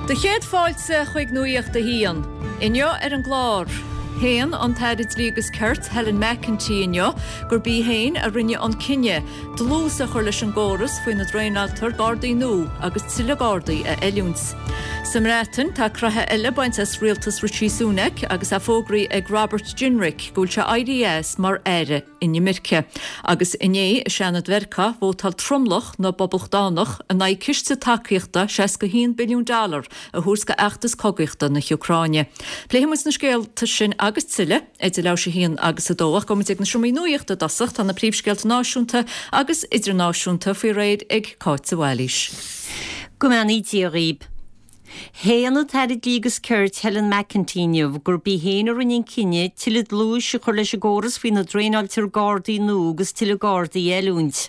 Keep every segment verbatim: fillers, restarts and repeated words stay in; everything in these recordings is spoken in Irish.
Do chéad fáilte chuig Nuacht a hAon. Inniu ar an gclár. Shéan an tAire Dlí agus Cirt Helen McEntee inniu gurb í féin a rinne an cinneadh dlús a chur leis an gcóras faoina dtraenáiltear Gardaí nua agus tuilleadh Gardaí a oiliúint. Sa mBreatain tá croitheadh eile bainte as rialtas Rishi Sunak agus é fógraithe ag Robert Jenrick go bhfuil sé éirithe as mar aire inimirce. Agus inné i Seanad Mheiriceá vótáil tromlach na bPoblachtánach in aghaidh ciste tacaíochta seasca haon billiún dollar a thabhairt go fheachtas cogaíochta na hÚcráine. Pléifimid na scéalta sin agus tuilleadh idir leathuair tar éis a haon agus a dó ach gabhfaimid ag na seomraí nuachta i dtosach tá na príomhscéalta náisiúnta agus idirnáisiúnta faoi réir ag Cáit Bhailís. Go mbeannaí Dia dhaoibh. Shéan an tAire Dlí agus Cirt Helen McEntee inniu gurb í féin a rinne an cinneadh tuilleadh dlúis a chur leis an gcóras faoina dtraenáiltear Gardaí nua agus tuilleadh Gardaí a oiliúint.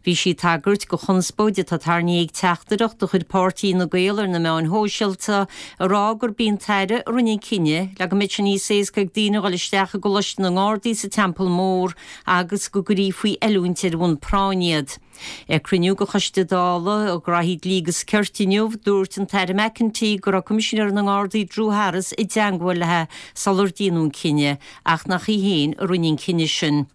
Bhí sí ag tagairt do chonspóid atá tarraingthe ag teachtaireacht a chuir páirtí Fhine Gael ar na meáin shóisialta ag rá gurb í an tAire a rinne an cinneadh le go mbeadh sé níos éasca ag daoine dul isteach i gColáiste na nGardaí sa Teampall Mór agus go gcuirfí faoi oiliúint ar bhonn práinne iad. Ag cruinniú de Choiste Dála um Ghnóthaí Dlí agus Cirt inniu dúirt an tAire McEntee go raibh Coimisinéir na nGardaí Drew Harris i dteagmháil léi sular déanadh an cinneadh ach nach í féin a rinne an cinneadh sin.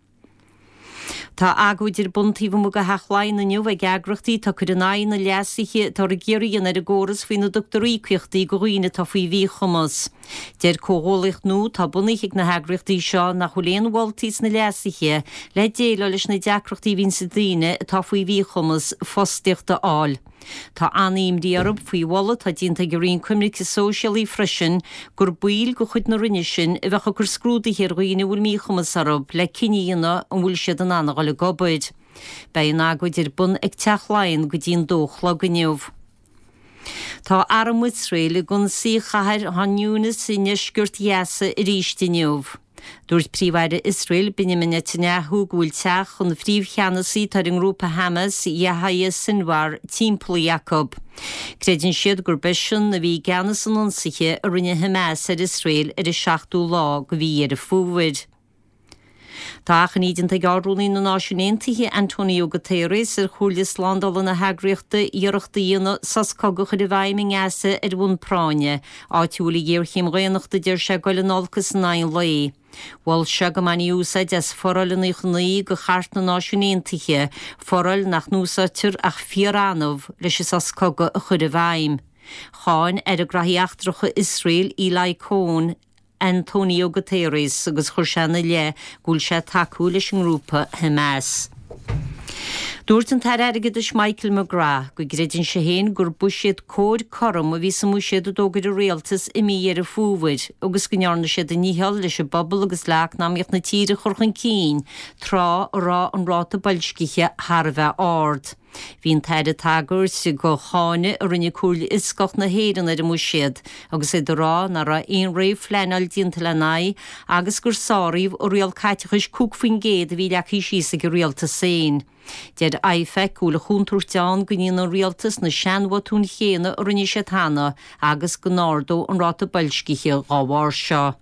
Tá agóid ar bun taobh amuigh de Theach Laighean inniu ag eagraíochtaí atá ag cur in aghaidh na leasuithe atá ag iarraidh ar an gcóras faoina dtugtar íocaíochtaí do dhaoine atá faoi mhíchumas. Deir comhghuaillíocht nua atá bunaithe ag na heagraíochtaí seo nach bhfuil aon mholtaí sna leasuithe le déileáil leis na deacrachtaí a bhíonn ag daoine atá faoi mhíchumas fostaíocht a fháil. Tá an-imní orthu faoi mholadh atá déanta ag an Roinn Coimirce Sóisialaí freisin gur baill de chuid na Roinne sin a bheadh ag cur scrúduithe ar dhaoine a bhfuil míchumas orthu le cinneadh a dhéanamh an bhfuil siad in ann a dhul ag obair. Beidh an agóid ar bun ag Teach Laighean go dtí an dó a chlog inniu. Tá arm Iosrael ag ionsaí chathair Khan Younis i ndeisceart Ghaza arís inniu. Dúirt Príomh-Aire Iosrael Benjamin Netanyahu go bhfuil teach an phríomhcheannasaí atá ar an ngrúpa Hamas Yahya Sinwar timpeallaithe acu. Creideann siad gurb eisean a bhí i gceannas an ionsaithe a rinne Hamas ar Iosrael ar an seachtú lá de mhí Dheireadh Fómhair. Tá achainí déanta ag Ard-Rúnaí na Náisiún Aontaithe Antonio Guterres ar Chomhairle Slándála na heagraíochta iarracht a dhéanamh sos cogaidh a chur i bhfeidhm i nGaza ar bhonn práinne, áit a bhfuil an ghéarchéim dhaonnachta deir sé ag dul in olcas in aghaidh an lae. Mhol sé go mbainfí úsáid as foráil nócha naoi de Chairt na Náisiún Aontaithe, foráil nach n-úsáidtear ach fíor-annamh leis an sos cogaidh a chur i bhfeidhm. Cháin Aire Gnóthaí Eachtracha Iosrael Eli Cohen Antonio Guterres agus chuir sé ina leith go bhfuil sé ag tacú leis an ngrúpa Hamas. Dúirt an tAire Airgeadais Michael McGrath go gcreideann sé féin gur buiséad cóir cothrom a bhí sa mbuiséad a d'fhógair an rialtas i mí Dheireadh Fómhair agus go ndearna siad a ndícheall leis an bpobal agus le heacnamaíocht na tíre a chur chun cinn tráth a raibh an ráta boilscithe thar a bheith ard. Bhí an tAire ag tagairt do cháineadh a rinne Comhairle Fhioscach na hÉireann ar an mbuiséad agus iad ag rá nach raibh aon réamhphleanáil déanta lena aghaidh agus gur sáraíodh an riail caiteachais cúig faoin gcéad a bhí leagtha síos ag an rialtas féin. Deir IFAC go bhfuil an chontúirt ann go ndéanfaidh an rialtas na seanbhotúin chéanna a rinne siad cheana agus go n-ardóidh an ráta boilscithe dá bharr seo.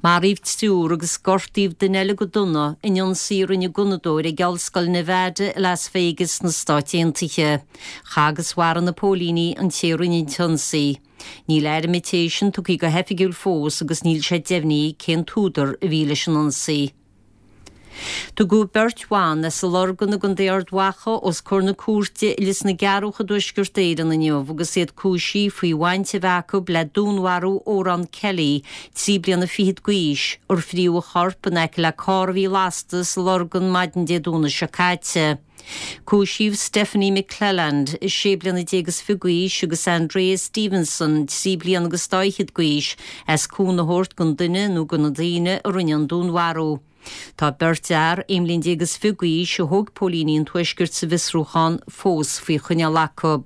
Maraíodh triúr agus gortaíodh duine eile go dona in ionsaí a rinne gunnadóir ag Ollscoil Nevada i Las Vegas sna Stáit Aontaithe. Chaith agus mharaigh na póilíní an té a rinne an t-ionsaí. Níl ainm an té sin tugtha go hoifigiúil fós agus níl sé deimhnithe cén t-údar a bhí leis an ionsaí. Tugadh beirt bhan as an Lorgain i gContae Ard Mhacha os comhair na cúirte i Lios na gCearrbhach i dTuaisceart Éireann inniu agus iad cúisithe faoi bhaint a bheith acu le dúnmharú Odhrán Kelly, trí bliana fichead d'aois, ar fríodh a chorp in aice le carr a bhí lasta sa Lorgain maidin Dé Domhnaigh seo caite. Cúisíodh Stephanie McClelland, sé bliana déag is fiche d'aois, agus Andrea Stevenson, trí bliana agus dá fhichead d'aois, as cúnamh a thabhairt don duine nó do na daoine a rinne an dúnmharú. Tá beirt fhear, aon bhliain déag is fiche d'aois, a thóg póilíní an Tuaiscirt sa bhfiosrúchán, fós faoi choinneáil acu.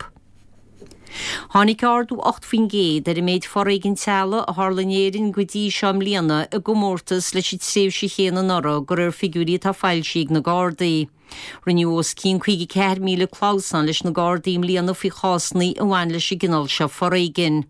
Tháinig ardú ocht faoin gcéad ar an méid foréigin teaghlaigh a tharla in Éirinn go dtí seo i mbliana i gcomórtas leis an tréimhse chéanna anuraidh, de réir figiúirí atá foilsithe ag na Gardaí. Rinneadh os cionn caoga ceathair míle clamhsán leis na Gardaí i mbliana faoi chásanna a bhain leis an gcineál seo foréigin.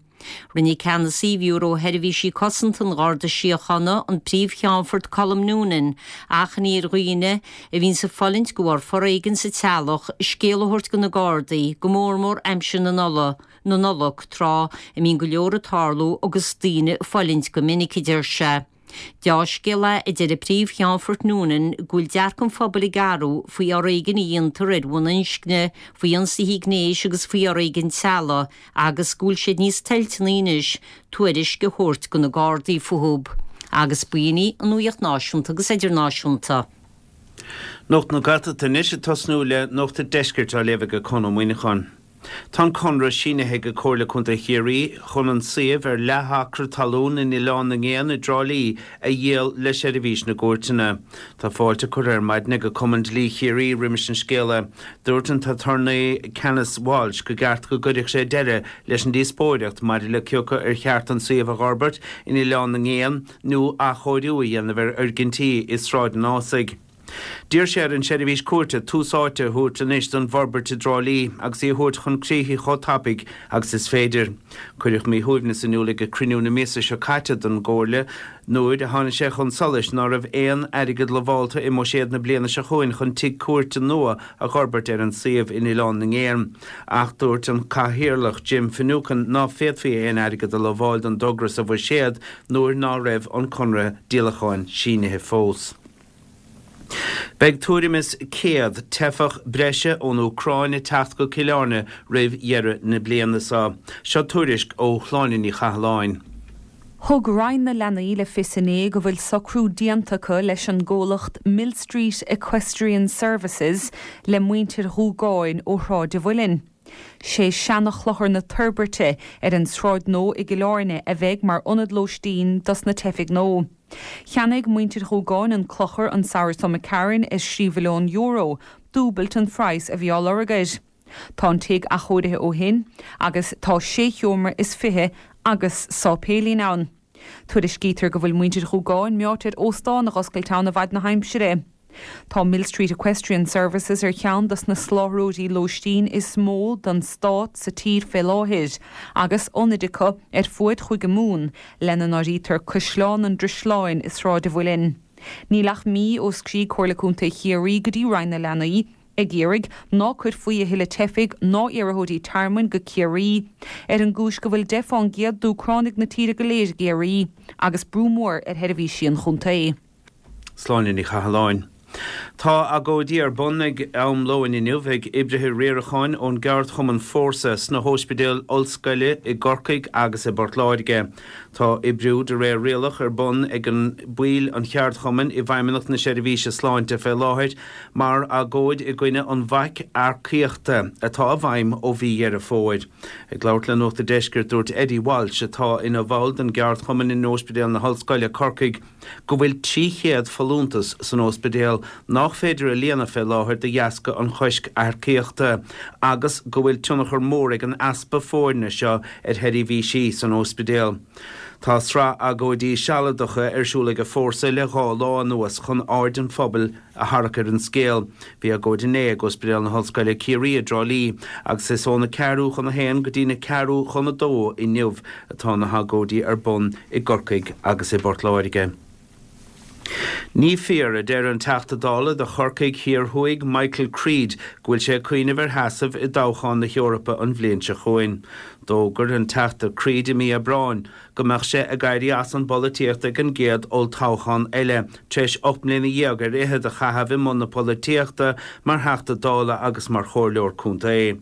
Rinne ceannasaí Bhiúró Sheirbhísí Cosanta an Gharda Síochána an Príomh-Cheannfort Colm Noonan achainí ar dhaoine a bhíonn ag fulaingt de bharr foréigin sa teaghlach scéal a thabhairt do na Gardaí, go mór mór aimsir na Nollag, na Nollag tráth a mbíonn go leor ag tarlú agus daoine ag fulaingt go minic, a deir sé. Dea-scéal é, a deir an Príomh-Cheannfort Noonan, go bhfuil dearcadh an phobail ag athrú faoi fhoréigean a dhéantar ar bhonn inscne, faoi ionsaithe gnéis agus faoi fhoréigean teaghlaigh agus go bhfuil siad níos toilteanaí anois tuairisc a thabhairt do na Gardaí fúthu. Agus b'in í an nuacht náisiúnta agus idirnáisiúnta. Nuacht na Gaeltachta anois ag tosnú le Nuacht an Deiscirt á léamh ag Conn Ó Muíneacháin. Tá an conradh sínithe ag Comhairle Contae Chiarraí chun an suíomh ar leath-acra talún in Oileán na nGéan i dTrá Lí a dhíol le Seirbhís na gCúirteanna. Tá fáilte curtha ar maidin ag Cumann Dlí Chiarraí roimis an scéala. Dúirt an t-aturnae Canice Walsh gur cheart go gcuirfeadh sé deireadh leis an díospóireacht maidir le cé acu ar cheart an suíomh a fhorbairt in Oileán na nGéan nó athchóiriú a dhéanamh ar fhoirgintí i Sráid an Ásaigh. D'iarr sé ar an seirbhís cúirte tús áite a thabhairt anois don bhforbairt i dTrá Lí agus í a thabhairt chun críche chomh tapaidh agus is féidir. Cuireadh míshuaimhneas in iúl ag cruinniú na míosa seo caite den gComhairle nuair a tháinig sé chun solais ná raibh aon airgead lamhálta i mbuiséad na bliana seo chugainn chun tigh cúirte nua a fhorbairt ar an suíomh in Oileán na nGéan. Ach dúirt an cathaoirleach Jim Finucane ná féadfaí aon airgead a lamháil don dtogra sa bhuiséad nuair ná raibh an conradh díolacháin sínithe fós. Beidh tuairim is céad teifeach breise ón Úcráin ag teacht go Cill Airne roimh dheireadh na bliana seo. Seo tuairisc ó Shláine Ní Chathalláin. Thug Roinn na Leanaí le fios inné go bhfuil socrú déanta acu leis an gcomhlacht Millstreet Equestrian Services le muintir Dhúgáin ó Shráid an Mhuilinn. Sé seanchlochar na Toirbeirte ar an Sráid Nua i gCill Airne a bheidh mar ionad lóistín dos na teifigh nua. Cheannaigh muintir Dhúgáin an clochar an samhradh seo imigh tharainn ar thrí mhilliún euro, dúbailt an phraghas a bhí á lorg air. Tá an tigh athchóirithe ó shin agus tá sé sheomra is fiche agus sáipéilín ann. Tuairiscítear go bhfuil muintir Dhúgáin meáite ar óstán a dh'oscailt ann i bhfad na haimsire. Tá Millstreet Equestrian Services ar cheann dos na soláthróirí lóistín is mó don stát sa tír fé láthair, agus ionaid acu ar fuaid Chúige Mumhan, lena n-áirítear Caisleán an Drisleáin i Sráid an Mhuilinn. Níl ach mí ó scrígh Comhairle Contae Chiarraí go dtí Roinn na Leanaí ag iarraidh ná cuirfí a thuilleadh teifigh ná iarrthóirí tearmainn go Ciarraí, ar an gcúis go bhfuil deich fán gcéad d'Úcránaigh na tíre go léir i gCiarraí, agus brú mór ar sheirbhísí an chontae. Sláine Ní Chathalláin. Tá agóidí ar bun ag am lóin inniu ag oibrithe riaracháin ón gceardchumann Fórsa sna hóispidéil ollscoile i gCorcaigh agus i bPort Láirge. Tá oibriú de réir rialach ar bun ag an baill an cheardchumainn i bhFeidhmeannacht na Seirbhíse Sláinte fé láthair mar agóid i gcoinne an bhaic earcaíochta atá i bhfeidhm ó mhí Dheireadh Fómhair. Ag labhairt le Nuacht an Deiscirt dúirt Eddie Walsh atá ina bhall den gceardchumann in Ospidéal na hOllscoile Corcaigh go bhfuil trí chéad folúntas san ospidéal nach féidir a líonadh fé láthair de dheasca an choisc earcaíochta agus go bhfuil tionchar mór ag an easpa foirne seo ar sheirbhísí san ospidéal. Tá sraith agóidí sealadacha ar siúl ag an Fórsa le dhá lá anuas chun aird an phobail a tharrac ar an scéal. Bhí agóid inné ag Ospidéal na hOllscoile Ciarraí i dTrá Lí agus is óna ceathrú chun a haon go dtí na ceathrú chun a dó inniu atá na hagóidí ar bun i gCorcaigh agus i bPort Láirge. Ní fíor, a deir an Teachta Dála do Chorcaigh Thiar Thuaidh Michael Creed, go bhfuil sé ag cuimhneamh ar sheasamh i dtoghchán na hEorpa an bhliain seo chugainn. D'fhógair an Teachta Creed i mí Aibreáin go mbeadh sé ag éirí as an bpolaitíocht ag an gcéad olltoghchán eile, tar éis ocht mbliana dhéag ar fhichead a chaitheamh i mbun na polaitíochta mar Theachta Dála agus mar Chomhairleoir Contae.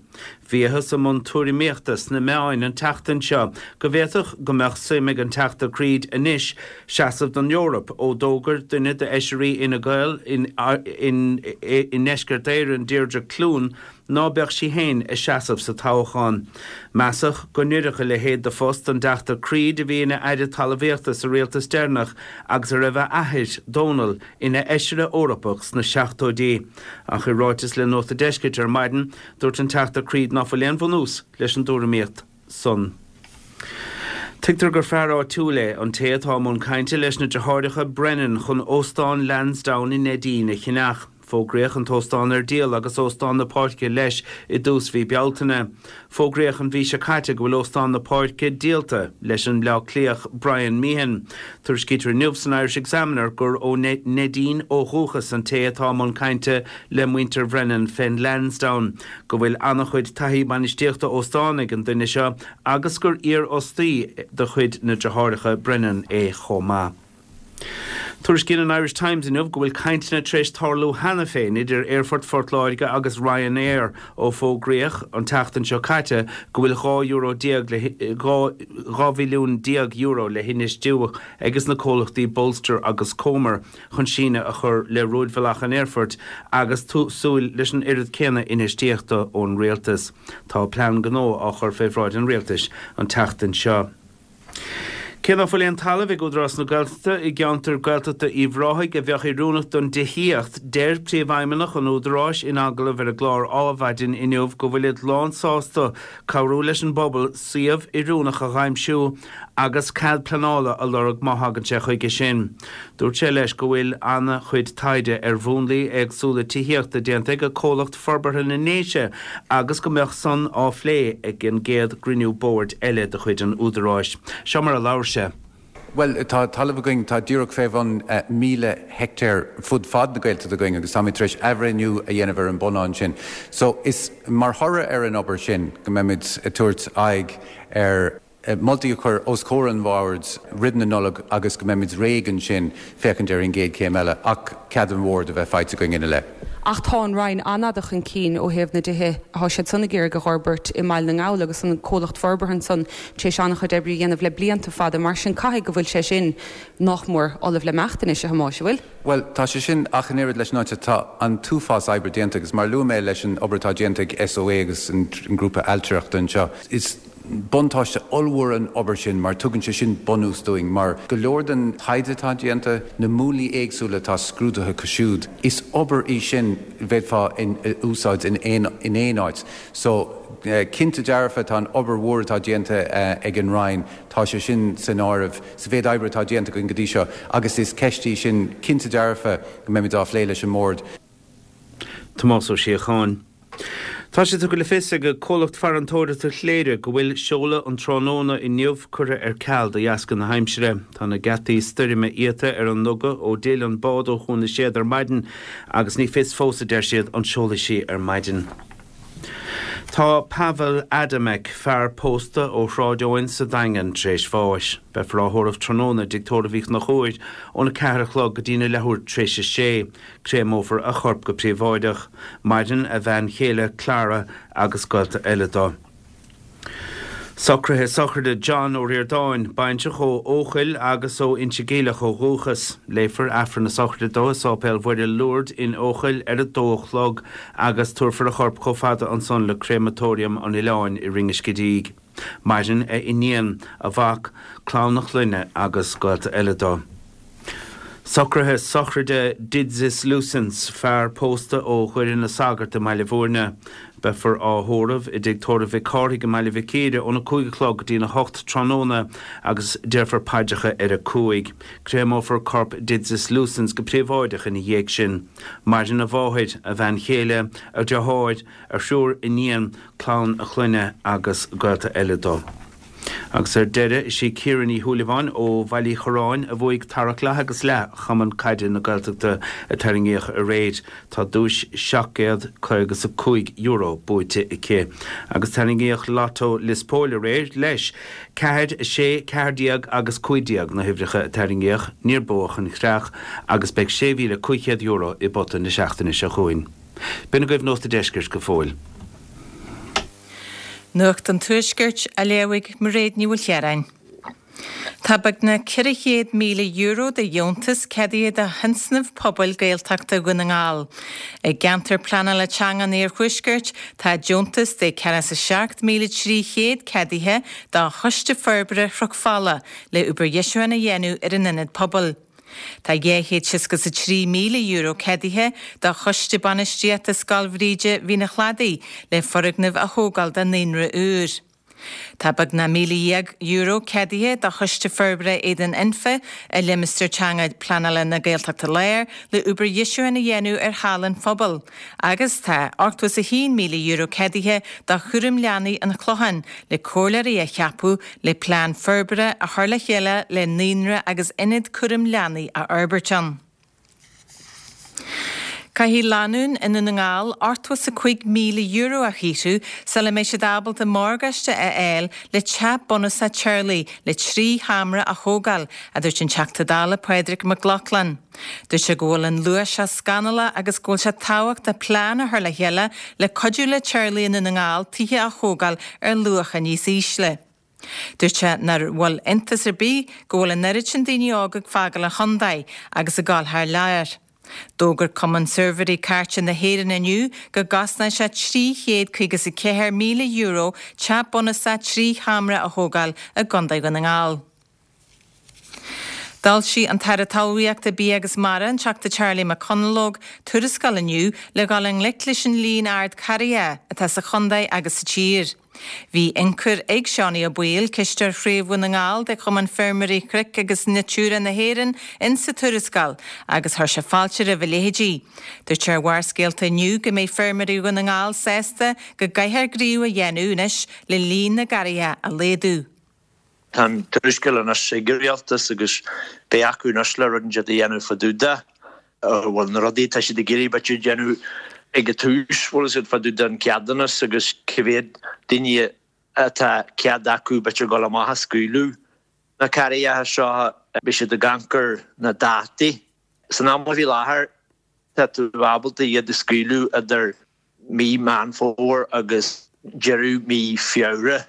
Bhíothas i mbun tuairimíochta sna meáin an tseachtain seo go bhféadfadh go mbeadh suim ag an Teachta Creed anois seasamh don Eoraip ó d'fhógair duine d'fheisirí Fhine Gael i nDeisceart Éireann, Deirdre Clune, ná beadh sí féin ag seasamh sa toghchán. Measadh go n-oirfeadh a leithéid de phost don dTeachta Creed a bhí ina Aire Talmhaíochta sa rialtas deireanach agus a raibh a athair, Dónal, ina Fheisire Eorpach sna seachtóidí. Ach i ráiteas le Nuacht an Deiscirt ar maidin, dúirt an Teachta Creed ná fuil aon bhunús leis an dtuairimíocht san. Tuigtear gur fear áitiúil é an té atá i mbun cainte leis na deartháireacha Brennan chun Óstán Lansdowne i Neidín a cheannach. Fógraíodh an t-óstán ar díol agus Óstán na Páirce leis i dtús mhí Bealtaine. Fógraíodh an mhí seo caite go bhfuil Óstán na Páirce díolta leis an mBleá Cliathach Brian Meehan. Tuairiscítear inniu san Irish Examiner gur ó Neidín ó dhúchas an té atá i mbun cainte le muintir Bhrennan fén Lansdowne, go bhfuil an-chuid taithí bainistíochta óstán ag an duine seo agus gur iarfhostaí de chuid na deartháireacha Brennan é chomh maith. Tuairiscíonn an Irish Times inniu go bhfuil cainteanna tar éis tarlú cheana féin idir Aerfort Phort Láirge agus Ryanair ó fógraíodh an tseachtain seo caite go bhfuil dhá euro déag le dhá bhilliún déag euro le hinfheistiú ages na comhlachtaí Bolster agus Comer chun síneadh a chur le rúidbhealach an aerfoirt agus súil leis an oiread céanna infheistíochta ón rialtas. Tá plean gnó á chur fé bhráid an rialtais an tseachtain seo. Cé ná fuil aon talamh ag Údarás na Gaeltachta i gceantar Gaeltachta Uíbh Ráthaigh a bheadh oiriúnach don tithíocht, deir Príomhfheidhmeannach an Údaráis in agallamh ar an gclár Adhmhaidin inniu go bhfuilid lánsásta cabhrú leis an bpobal suíomh oiriúnach a aimsiú agus cead pleanála a lorg má thagann sé chuige sin. Dúirt sé leis go bhfuil an-chuid taighde ar mhúnlaí éagsúla tithíochta déanta ag Comhlacht Forbartha na nDéise agus go mbeadh san á phlé ag an gcéad gcruinniú boird eile de chuid an Údaráis. Seo mar a labhair sé. Well, tá talamh againn tá díreach fé bhun uh, míle heicteár fud fad na Gaeltachta againn agus táimid tar éis athbhreithniú a dhéanamh ar an bpunann sin. So is mar thoradh ar an obair sin go mbeimid ag tabhairt aghaidh ar eh, moltaí a chur os comhair an bhoird roimh na Nollag agus go mbeimid réidh ansin féachaint ar an gcéad chéim eile ach cead an bhoird a bheith faighte againn ina leith. Ach tá an Roinn an-fhada chun cinn ó thaobh na dtithe atá siad san ag iarraidh a fhorbairt i mBaile na nGall agus an comhlacht forbartha san tar éis an-chuid oibre a dhéanamh le blianta fada mar sin caithfidh go bhfuil sé sin nach mór ullamh le himeacht anois a Thomáis bhfuil. Well, tá sé sin ach in oiread leis an áit tá an t-uafás oibre déanta agus mar luaigh mé leis an obair atá déanta ag SOA agus an grúpa ailtireachta anseo. Is buntáiste ollmhór an obair sin mar tugann sé sin bunús dúinn mar go leor den taighde atá déanta na múnlaí éagsúla atá scrúdaithe acu siúd. Is obair í sin bheifeá in úsáid in aon in aon áit. So uh, cinnte dearfa tá an obair mhór atá déanta uh, ag an Roinn tá sé sin san áireamh sa mhéid oibre atá déanta go dtí seo agus is ceist í sin cinnte dearfa go mbeimid á phlé leis an mbord. Tomás Ó Síocháin. Tá sé tugtha le fios ag comhlacht farantóireachta Chléire go bhfuil seoladh an tráthnóna inniu curtha ar ceal de dheasca na haimsire. Tá na geataí stoirme iata ar an nduga ó d'fhill an bád ó Chuan na Séad ar maidin agus ní fios fós a deir siad an seolfaidh sí ar maidin. Tá Pavel Adamek fear pósta ó Shráid Eoin sa Daingean tar éis bháis. Beifear á thórramh tráthnóna i dTigh Tórraimh Uí Chonchúir óna ceathair a chlog go dtína leathuair tar éis a sé. Créamófar a chorp go príobháideach. Maireann a bhean chéile Clara agus gaolta eile dó. Socruithe sochraide John Ó Ríordáin, baintreach ó Eochaill agus ó Inse Geimhleach ó dhúchas. Léifear Aifreann na sochraide dó i Sáipéal Mhuire Lourdes in Eochaill ar a dó a chlog agus tabharfar a chorp chomh fada ansan le Créamatóiriam an Oileáin i Rinn Scidígh. Maireann a iníon, a mhac, clann a chlainne agus gaolta eile dó. Socruithe sochraide Didzis Lucens, fear pósta ó Dhoire na Sagart i mBaile Bhúirne. Beifear á thórramh i dTigh Tórraimh Mhic Cárthaigh i mBaile Mhic Íre óna cúig a chlog go dtína hocht tráthnóna agus déarfar paidreacha ar a cúig. Créamófar corp Didzis Lucens go príobháideach ina dhiaidh sin. Maireann a mháthair, a bhean chéile, a dheartháir, a thriúr iníon, clann a chlainne agus gaolta eile dó. Agus ar deireadh is í Ciara Ní Shúilleabháin ó Bhaile Uí Chorráin a bhuaigh tarrac leath agus leath Chumann Caide na Gaeltachta a tarraingíodh aréir. Tá duais seacht gcéad caoga is a cúig euro buaite aici. Agus tarraingíodh Lotto Lios Póil aréir leis. Ceathair, a sé, ceathair déag agus cúig déag na huimhreacha a tarraingíodh, níor buadh an chreach agus beidh sé mhíle cúig chéad euro i bpota na seachtaine seo chugainn. B'in agaibh Nuacht an Deiscirt go fóill. Nuacht an Tuaiscirt á léamh ag Mairéad Ní Mhaoilchiaráin. Tá beagnach ceithre chéad míle euro de dheontas ceadaithe do thionscnamh pobail Gaeltachta Dhún na nGall. I gceantar pleanála teanga an Iarthuaiscirt tá deontas de ceathracha is a seacht míle trí chéad ceadaithe do Choiste Forbartha Chnoc Fola le obair dheisiúcháin a dhéanamh ar an ionad pobail. Tá dhá chéad seasca is a trí míle euro ceadaithe do Choiste Bainistíochta Scoil Bhríde Mhín an Chladaigh le foirgneamh a thógáil do naíonra úr. Tá beagnach míle dhéag euro ceadaithe do Choiste Forbartha Éadan Anfa i Limistéar Teanga Pleanála na Gaeltachta Láir le obair dheisiúcháin a dhéanamh ar Halla an Phobail agus tá ochtó is a haon míle euro ceadaithe do Chúram Leanaí an Chlocháin le comhairleoirí a cheapadh le plean forbartha a chur le chéile le naíonra agus ionad cúram leanaí a fhorbairt ann. Caithfidh lánúin i nDún na nGall ochtó is a cúig míle euro a shaothrú sula mbeidh siad ábalta morgáiste a fháil le teach bunúsach teaghlaigh le trí sheomra a thógáil, a dúirt an Teachta Dála Pádraig Mac Lochlainn. Dúirt sé go bhfuil an luas seo scannalach agus go bhfuil sé tábhachtach plean a chur le chéile le cuidiú le teaghlaigh i nDún na nGall tithe a thógáil ar luacha níos ísle. Dúirt sé nach bhfuil iontas ar bith go bhfuil an oiread sin daoine óga ag fágáil an chontae agus ag dul thar lear. D'fhógair Cumann Suirbhéirí Cairte na hÉireann inniu go gcosnóidh sé trí chéad caoga is a ceathair míle euro teach bunúsach trí sheomra a thógáil i gContae Dhún na nGall. D'fhoilsigh an tAire Talmhaíochta, Bia agus Mara, an Teachta Charlie McConalogue, tuarascáil inniu le dhul i ngleic leis an líon ard carraithe atá sa chontae agus sa tír. Bhí ionchur ag Seánie Ó Baoill, cisteoir Chraobh Dhún na nGall de Chumann Feirmeoirí Cnoic agus Natura na hÉireann, insa tuarascáil agus chuir sé fáilte roimh a leithéidí. Dúirt sé ar Bharrscéalta inniu go mbeidh feirmeoirí Dhún na nGall sásta go gcaithfear gníomh a dhéanamh anois le líon na gcarraithe a laghdú. Tá an tuarascáil anois ag an rialtas agus beidh acu anois le rud inteacht a dhéanamh fá dtaobh de. Bhuel, na rudaí atá siad ag iarraidh b'fhéidir déanamh ag an tús, bhfuil siad fá dtaobh den ceadúnas agus cé mhéad daoine atá cead acu b'fhéidir dul amach a scaoileadh na carraigheacha seo, beidh siad ag amharc ar na dátaí. San am faoi láthair tá tú ábalta iad a scaoileadh idir mí Meán Fómhair agus deireadh mí Feabhra.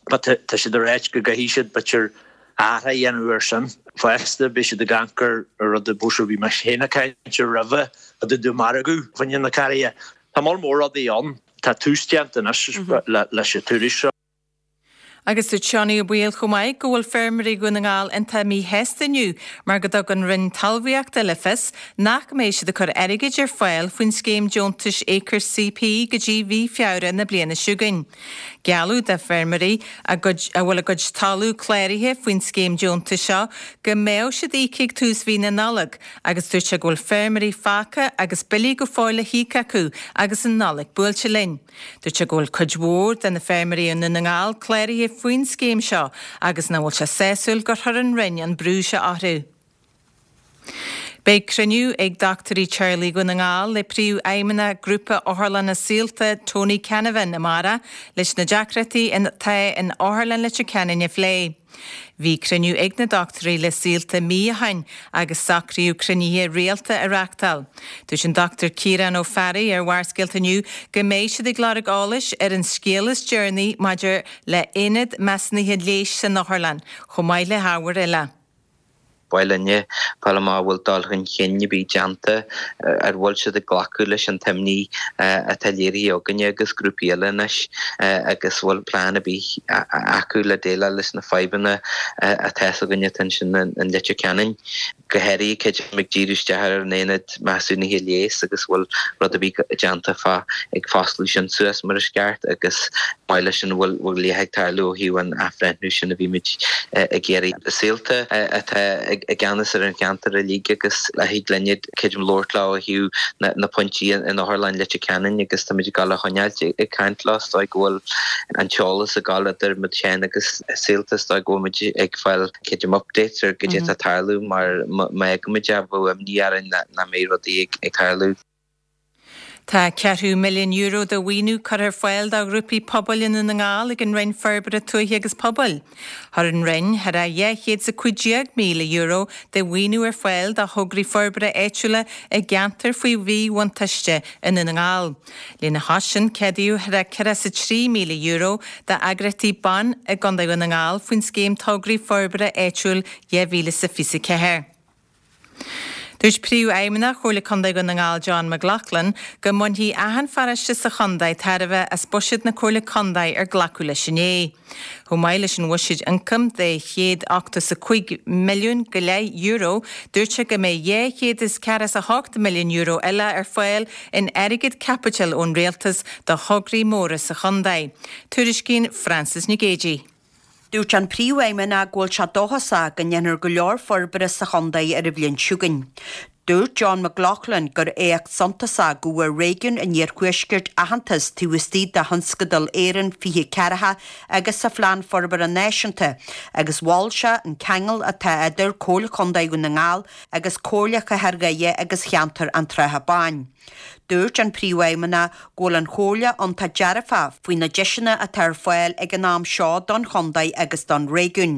But tá siad ag ráit go gcaithfidh siad b'fhéidir athrú a dhéanamh air sin. Fosta beidh siad ag amharc ar rud a b'fhéidir bhí mé féin ag caint ar roimhe a dúdú margadh fá choinne na carraighe. Tá moll mór rudaí ann. Tá tús déanta anois leis an tuairisc seo. Agus dúirt Seánie Ó Baoill chomh maith go bhfuil feirmeoirí Dhún na nGall iontach míshásta inniu mar go dtug an Roinn Talmhaíochta le fios nach mbeidh siad ag cur airgid ar fáil faoin scéim deontais Acre CP go dtí mhí Feabhra na bliana seo chugainn. Gealladh do feirmeoirí a bhfuil a gcuid talamh cláraithe faoin scéim deontais seo go mbeadh siad íoctha ag tús mhí na Nollag agus dúirt sé go bhfuil feirmeoirí fágtha agus billí go fóill le híoc acu agus an Nollaig buailte linn. Dúirt sé go bhfuil cuid mhór de na feirmeoirí i nDún na nGall cláraithe faoin scéim seo agus nach bhfuil sé sásúil gur chuir an Roinn an brú seo orthu. Beidh cruinniú ag dochtúirí teaghlaigh Dhún na nGall le príomhfheidhmeannach Grúpa Otharlanna Saolta Tony Canavan amárach leis na deacrachtaí atá in Otharlann Leitir Ceanainn a phlé. Bhí cruinniú ag na dochtúirí le Saolta mí ó shin agus socraíodh cruinnithe rialta a reáchtáil. Dúirt an Dochtúir Ciarán Ó Fearraigh ar Bharrscéalta inniu go mbeidh siad ag lorg eolais ar an scéal is deireanaí maidir le haonad measúnaithe leighis san otharlann, chomh maith le hábhair eile. Ba mhaith linne fáil amach an bhfuil dul chun cinn ar bith déanta, ar bhfuil siad ag glacadh leis an t-imní atá léirithe againne agus grúpaí eile anois agus bhfuil plean ar bith acu le déileáil leis na fadhbanna atá againne atá ansin in Leitir Ceanainn. Go háirithe creidim ag díriú isteach ar an aonad measúnaithe leighis agus bhfuil rud ar bith déanta fá ag foscladh sin suas mar is ceart agus maith leis an bhfuil bhfuil ag tarlú ó thaobh an athbhreithniú sin a bhí muid ag iarraidh. Saolta atá i gceannas ar an cheantar uilig agus thig linne creidim labhairt leo ó thaobh na pointí in Otharlann Leitir Ceanainn agus táimid ag dul a choinneáilt ag caint leo is dóigh go bhfuil an t-eolas ag dul idir muid féin agus Saolta is dóigh go bhfuil muid ag fáil creidim updates ar goidé atá ag tarlú mar má fhágaimid é bheadh imní orainn nach mbeidh rudaí ag tarlú. Tá ceathrú milliún euro de mhaoiniú curtha ar fáil do ghrúpaí pobail i nDún na nGall ag an Roinn Forbartha Tuaithe agus Pobail. Chuir an Roinn thar a dhá chéad is a cúig déag míle euro de mhaoiniú ar fáil do thograí forbartha áitiúla i gceantair faoi mhíbhuntáiste i nDún na nGall. Lena chois sin ceadaíodh thar a ceithre is a trí míle euro d'eagraíochtaí ban i gContae Dhún na nGall faoin scéim Tograí Forbartha Áitiúil dhá mhíle is a fiche a ceathair. Dúirt Príomhfheidhmeannach Chomhairle Contae Dhún na nGall John McLaughlin go mbainfidh achan pharóiste sa chontae tairbhe as buiséad na Comhairle Contae ar glacadh leis inné. Chomh maith leis an bhuiséad ioncaim de chéad ochtó is a cúig milliún go leith euro, dúirt sé go mbeidh dhá chéad is ceathracha is a hocht milliún euro eile ar fáil in airgead caipitil ón rialtas do thograí móra sa chontae. Tuairiscíonn Frances Nic Géadaigh. Dúirt an Príomhfheidhmeannach go bhfuil sé dóchasach go ndéanfar go leor forbartha sa chontae ar an bhliain seo chugainn. Dúirt John McLaughlin gur éacht suntasach go bhfuair réigiún an Iarthuaiscirt aitheantas taobh istigh de Thionscadal Éireann fiche ceathracha agus sa Phlean Forbartha Náisiúnta agus mhol sé an ceangal atá idir Comhairle Chontae Dhún na nGall agus Comhairle Chathair Dhoire agus Cheantar an tSratha Báin. Dúirt an Príomhfheidhmeannach go bhfuil an Chomhairle iontach dearfach faoi na deiseanna atá ar fáil ag an am seo don chontae agus don réigiún.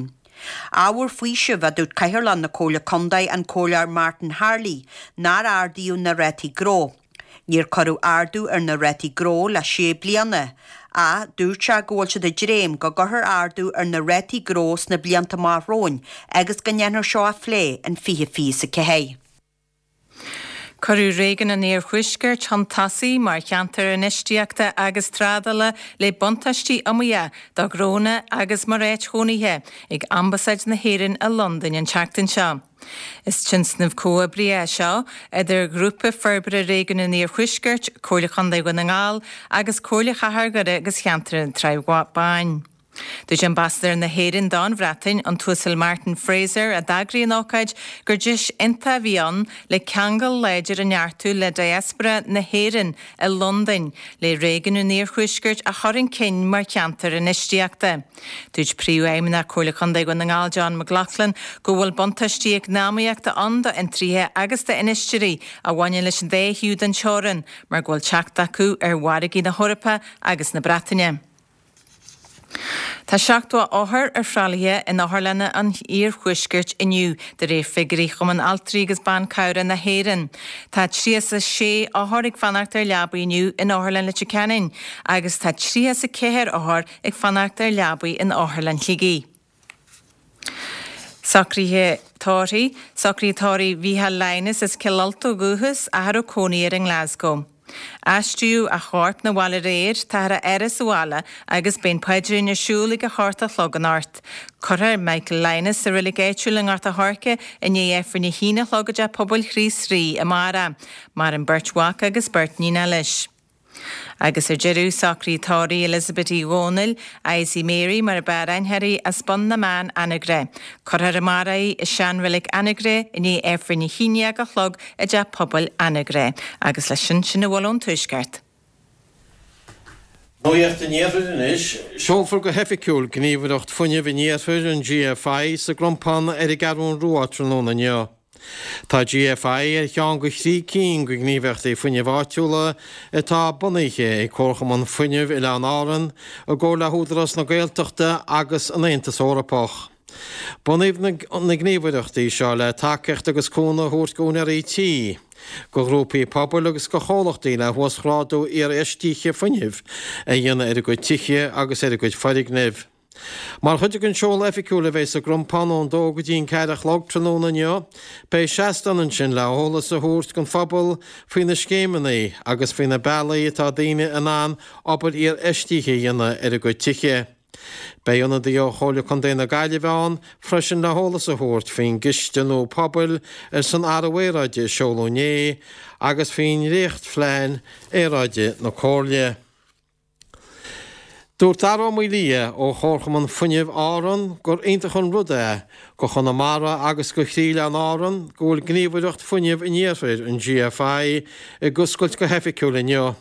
Ábhar faoisimh a dúirt Cathaoirleach na Comhairle Contae an Comhairleoir Martin Harley nár ardaíodh na rátaí gnó. Níor cuireadh ardú ar na rátaí gnó le sé bliana, ach dúirt sé go bhfuil siad ag dréim go gcuirfear ardú ar na rátaí gnó sna blianta amach romhainn agus go ndéanfar seo a phlé in fiche fiche a ceathair. Cuireadh Réigiún an Iarthuaiscirt chun tosaigh mar cheantar infheistíochta agus trádála le buntáistí iomaíocha do ghnónna agus mar áit chónaithe ag Ambasáid na hÉireann i Londain an tseachtain seo. Is tionscnamh comhoibrithe é seo idir Ghrúpa Forbartha Réigiún an Iarthuaiscirt, Comhairle Chontae Dhún na nGall agus Comhairle Chathair Dhoire agus Cheantar an tSratha Báin. Dúirt Ambasadóir na hÉireann don Bhreatain, an tUasal Martin Fraser, a d'eagraigh an ócáid, gur deis iontach a bhí ann le ceangal láidir a neartú le diaspora na hÉireann i Londain, le Réigiún an Iarthuaiscirt a chur chun cinn mar cheantar infheistíochta. Dúirt Príomhfheidhmeannach Comhairle Contae Dhún na nGall John McLaughlin go bhfuil buntáistí eacnamaíochta ann d'fhiontraithe agus d'infheisteoirí a bhaineann leis an dá thaobh den teorainn mar go bhfuil teacht acu ar mhargaí na hEorpa agus na Breataine. Tá seachtó othar ar thralaithe in otharlanna an iarthuaiscirt inniu, de réir figiúirí Chumann Altraí agus Ban Cabhrach na hÉireann. Tá tríocha sé othar ag fanacht ar leabaí inniu in Otharlann Leitir Ceanainn agus tá tríocha ceathair othar ag fanacht ar leabaí in Otharlann Shligigh. Socruithe tórraimh, Socruithe tórraimh Mhícheál Lynas as Cill Ulta ó dhúchas, ach a raibh cónaí air i nGlasgow. Aistríodh a chorp 'na bhaile aréir, táthar á fhaire sa bhaile agus beidh an paidrín ar siúl ag a hocht a chlog anocht. Cuirfear Michael Lynas sa reilig áitiúil i nGort a' Choirce i ndiaidh Aifreann a haon a chlog i dTeach Pobail Chríost Rí amárach. Maireann beirt mhac agus beirt níon leis. Agus ar deireadh, socruithe tórraimh Elizabeth Uí Dhónaill, Izzy Mary mar ab fhearr aithne uirthi, as Bun na mBan, Anagaire. Cuirfear amárach í i seanreilig Anagaire i ndiaidh Aifreann a haon déag a chlog i dTeach Pobail Anagaire. Agus leis sin, sin a bhfuil ón Tuaisceart. Nuacht an Iarthair anois. Seolfar go hoifigiúil Gníomhaireacht Fuinnimh an Iarthair, an GFI, sa gCrompán ar an gCeathrú Rua tráthnóna inniu. Tá GFI ar cheann de thrí cinn de ghníomhaireachtaí fuinnimh áitiúla atá bunaithe ag Comharchumann Fuinnimh Oileáin Árann i gcomhar le hÚdarás na Gaeltachta agus an Aontas Eorpach. Bunaíodh na gníomhaireachtaí seo le tacaíocht agus cúnamh a thabhairt d'úinéirí tí, do ghrúpaí pobail agus do chomhlachtaí le huasghrádú iarfheistithe fuinnimh a dhéanamh ar a gcuid tithe agus ar a gcuid foirgnimh. Mar chuid den seoladh oifigiúil a bheidh sa gCrompán ón dó go dtí an ceathair a chlog tráthnóna inniu, beidh seastán ansin le eolas a thabhairt don phobal faoi na scéimeanna agus faoi na bealaí atá daoine in ann obair iarfheistithe a dhéanamh ar a gcuid tithe. Beidh ionadaí ó Chomhairle Contae na Gaillimhe ann freisin le heolas a thabhairt faoin gCiste nua Pobail ar son Athrú Aeráide a seoladh inné agus faoi dhréachtphlean aeráide na Comhairle. Dúirt Dara Ó Maolaodha ó Chomharchumann Fuinnimh Árann gur iontach an rud é go Chonamara agus go chroí Oileáin Árann go bhfuil Gníomhaireacht Fuinnimh an Iarthair, an GFI, ag oscailt go hoifigiúil inniu.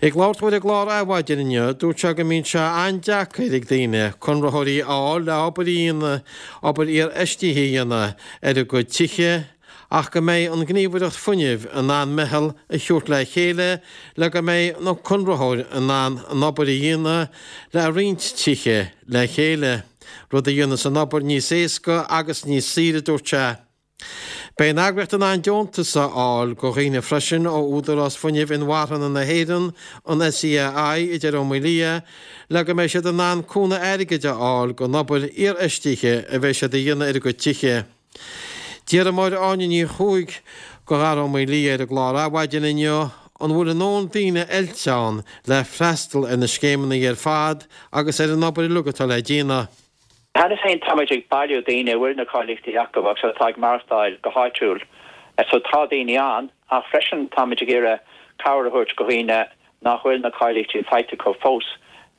Ag labhairt dó ar an gclár Adhmhaidin inniu, dúirt sé go mbíonn sé an-deacair ag daoine conraitheoirí a fháil le obair a dhéanamh, obair iarfheistithe a dhéanamh ar a gcuid tithe ach go mbeidh an Ghníomhaireacht Fuinnimh in ann meitheal a thabhairt le chéile le go mbeidh na conraitheoir in ann an obair a dhéanamh le roinnt tithe le chéile, rud a dhéanfas an obair níos éasca agus níos saoire, a dúirt sé. Beidh an eagraíocht in ann deontas a fháil do dhaoine freisin ó Údarás Fuinnimh Inmharthana na hÉireann, an SEAI, a deir Ó Maolaodha, le go mbeidh siad in ann cúnamh airgid a fháil don obair iarfheistithe a bheidh siad a dhéanamh ar a gcuid tithe. D'iarr Máire Áine Ní Chuaig de Dhara Ó Maolaodha ar an gclár Adhmhaidin inniu an bhfuil a ndóthain daoine oilte ann le freastal ar na scéimeanna ar fad agus ar an obair uilig atá le déanamh. Cheana féin táimid ag bailiú daoine a bhfuil na cáilíochtaí acu agus atá ag maireachtáil go háitiúil. So tá daoine ann ach freisin táimid ag iarraidh cabhair a thabhairt do dhaoine nach bhfuil na cáilíochtaí faighte acu fós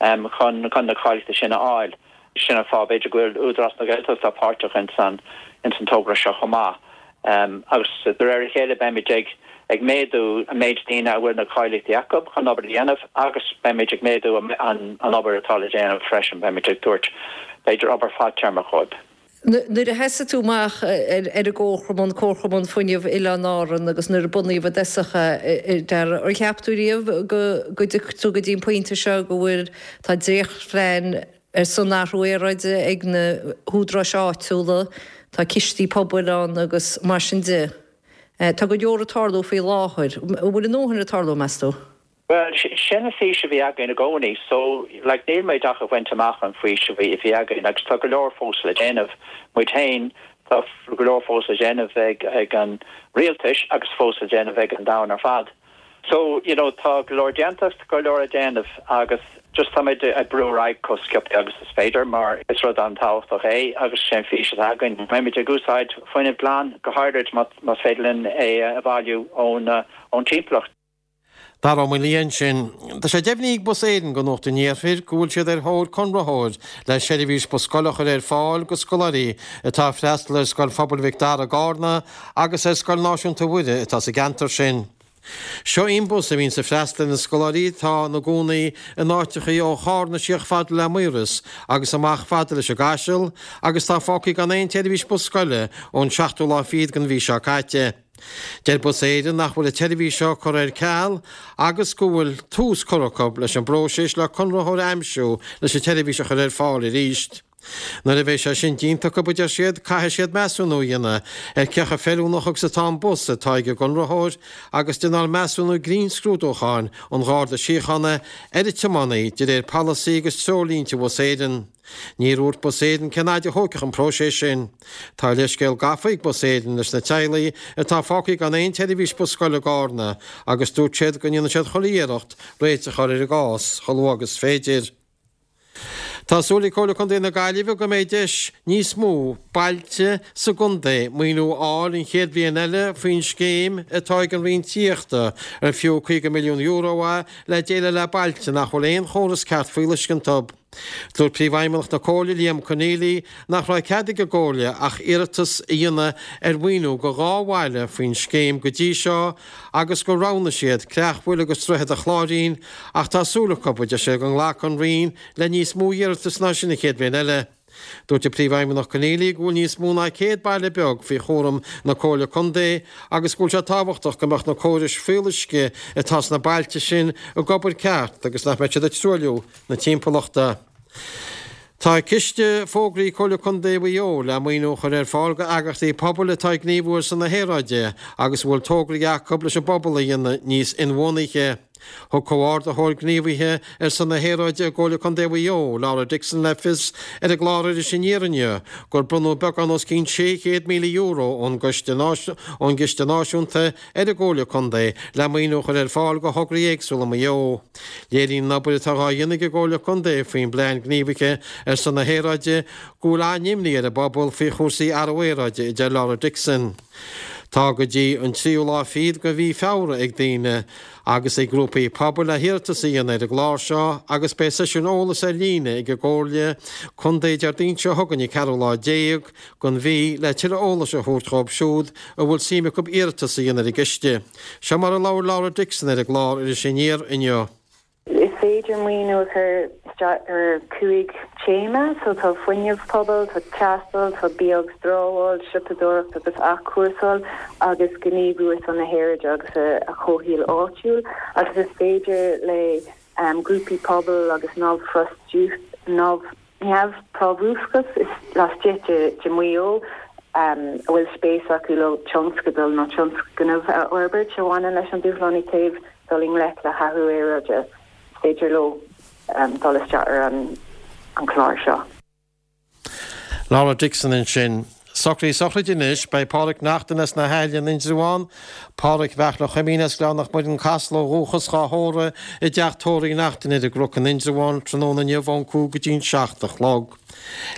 chun chun na cáilíochtaí sin a fháil. Sin an fáth b'fhéidir go bhfuil Údarás na Gaeltachta páirteach ins an ins an togra seo chomh maith. Agus de réir a chéile beimid ag ag méadú an méid daoine a bhfuil na cáilíochtaí acu chun obair a dhéanamh agus beimid ag méadú an an obair atá le déanamh freisin, beimid ag tabhairt b'fhéidir obair fadtéarmach dhóibh. Nuair a thosaigh tú amach ar an gComharchumann, Comharchumann Fuinnimh Oileáin Árann agus nuair a bunaíodh i dtosach é, ar cheap tú riamh go go dtiocfadh tú go dtí an pointe seo go bhfuil, tá dréachtphlean ar son athrú aeráide ag na húdaráis áitiúla, tá cistí pobail ann agus mar sin de. Tá go leor ag tarlú faoi láthair. An bhfuil a ndóthain ag tarlú, meas tú? Bhuel, sin an fhís a bhí againn i gcónaí. So, like, níl muid ach ag baint amach an fhís a bhí, a bhí againn agus tá go leor fós le déanamh. Muid féin, tá go leor fós le déanamh ag, ag an rialtais agus fós le déanamh ag an domhan ar fad. So, you know, tá go leor déanta, tá go leor le déanamh agus just táimid ag brú ar aghaidh chomh sciobtha agus is féidir mar is rud an-tábhachtach é agus sin an fhís atá againn. Beimid ag úsáid fuinneamh glan, go háirid más féidir linn é a bhailiú ón, ón timpeallacht. Dara Ó Maolaodha ansin. Tá sé deimhnithe ag Bus Éireann do Nuacht an Iarthair go bhfuil siad ar thóir conraitheoir le seirbhís bus scoile a chur ar fáil go scoláirí atá ag freastal ar Scoil Phobail Mhic Dara i gCarna agus ar Scoil Náisiúnta Mhuire atá sa gceantar sin. Seo í an bus a bhíonns ag freastal ar na scoláirí atá ina gcónaí in áiteachaí ó Chárna síos fada le Maoras agus amach fada leis an gCaiseal agus atá fágtha gan aon tseirbhís bus scoile ón seachtú lá fichead den mhí seo caite. Deir Bus Éireann nach bhfuil an tseirbhís seo curtha ar ceal agus go bhfuil tús curtha acu leis an bpróiseas le conraitheoir a aimsiú leis an tseirbhís a chur ar fáil arís. Nuair a bheidh sé sin déanta acu, a deir siad, caithfidh siad measúnú a dhéanamh ar cé chomh feiliúnach agus atá an bus atá ag an gconraitheoir agus cineál measúnú grinnscrúdúcháin an Gharda Síochána ar an tiománaí de réir polasaí agus treoirlínte Bhus Éireann. Níor dhúirt Bus Éireann cén fhaid a thógfadh an próiseas sin. Tá leithscéal gafa ag Bus Éireann leis na teaghlaigh atá fágtha gan aon tseirbhís bus scoile i gCárna agus dúirt siad go ndéanfaidh siad chuile iarracht réiteach a chur ar an gcás chomh luath agus is féidir. Tá súil ag Comhairle Contae na Gaillimhe go mbeidh deis níos mó bailte sa gcontae maoiniú a fháil an chéad bhliain eile faoin scéim atá ag an Roinn Tithíochta ar fiú caoga milliún euro é le déileáil le bailte nach bhfuil aon chóras ceart fuíolluisce iontu. Dúirt Príomhfheidhmeannach na Comhairle, Liam Conneally, nach raibh cead ag an gComhairle ach iarratas a dhéanamh ar mhaoiniú go dhá bhaile faoin scéim go dtí seo agus gur roghnaigh siad Creachmhaoil agus Droichead an Chláirín ach tá súil acu, a deir sé, go nglacfaidh an Roinn le níos mó iarratas ná sin an chéad bhliain eile. Dúirt an Príomhfheidhmeannach Conneally go bhfuil níos mó ná céad baile beag faoi chúram na Comhairle Contae agus go bhfuil sé tábhachtach go mbeadh na córais fuíolluisce atá sna bailte sin ag obair ceart agus nach mbeadh siad ag truailliú na timpeallachta. Tá Ciste fógraithe ag Comhairle Contae Mhaigh Eo le maoiniú a chur ar fáil go eagraíochtaí pobail atá ag gníomhú ar son na haeráide agus a bhfuil tograí acu leis an bpobal a dhéanamh níos inbhuanaithe. Thug Comhordaitheoir Gníomhaithe ar son na hAeráide i gComhairle Contae Mhaigh Eo, Laura Dixon le fios ar an gclár Iris Aniar inniu gur bronnadh beagán os cionn sé chéad míle euro ón gCoiste ón gCiste Náisiúnta ar an gComhairle Contae le maoiniú a chur ar fáil go thograí éagsúla i Maigh Eo. Léiríonn an obair atá dhá dhéanamh ag an gComhairle Contae faoin bPlean Gníomhaithe ar son na hAeráide go bhfuil an-imní ar an bpobal faoi chúrsaí athrú aeráide, a deir Laura Dixon. Tá go dtí an tríú lá fichead de mhí Feabhra ag daoine agus ag grúpaí pobail le hiarratas a dhéanamh ar an gclár seo agus beidh seisiún eolais ar líne ag an gComhairle Contae Déardaoin seo chugainn an ceathrú lá déag den mhí le tuilleadh eolais a thabhairt dhóibh siúd a bhfuil suim acu iarratas a dhéanamh ar an gciste. Seo mar a labhair Laura Dixon ar an gclár Iris Aniar inniu. Is féidir maoiniú a chur isteach ar cúig téama, so tá fuinneamh pobail, tá taisteal, tá bia agus dramháil, siopadóireacht agus athchúrsáil, agus gníomhú ar son na haeráide agus a chomhshaoil áitiúil, agus is féidir le grúpaí pobail agus neamhphrábhúsachas laistigh de Mhaigh Eo a bhfuil spéis acu leo tionscadal nó tionscnamh a fhorbairt a bhaineann leis an dúshlán i dtaobh dul i ngleic le hathrú aeráide, is féidir leo dul isteach ar an gclár seo. Laura Dixon ansin. Socruithe sochraide anois, beidh Pádraic Neachtain as na hAille in Indreabhán, Pádraic Bheartla Chuimín as Gleann na Muireann Casla ó dhúchas dhá thórramh i dteach tórraimh Uí Neachtain ar an gCnoc in Indreabhán tráthnóna inniu ón cúig go dtí'n seacht a chlog.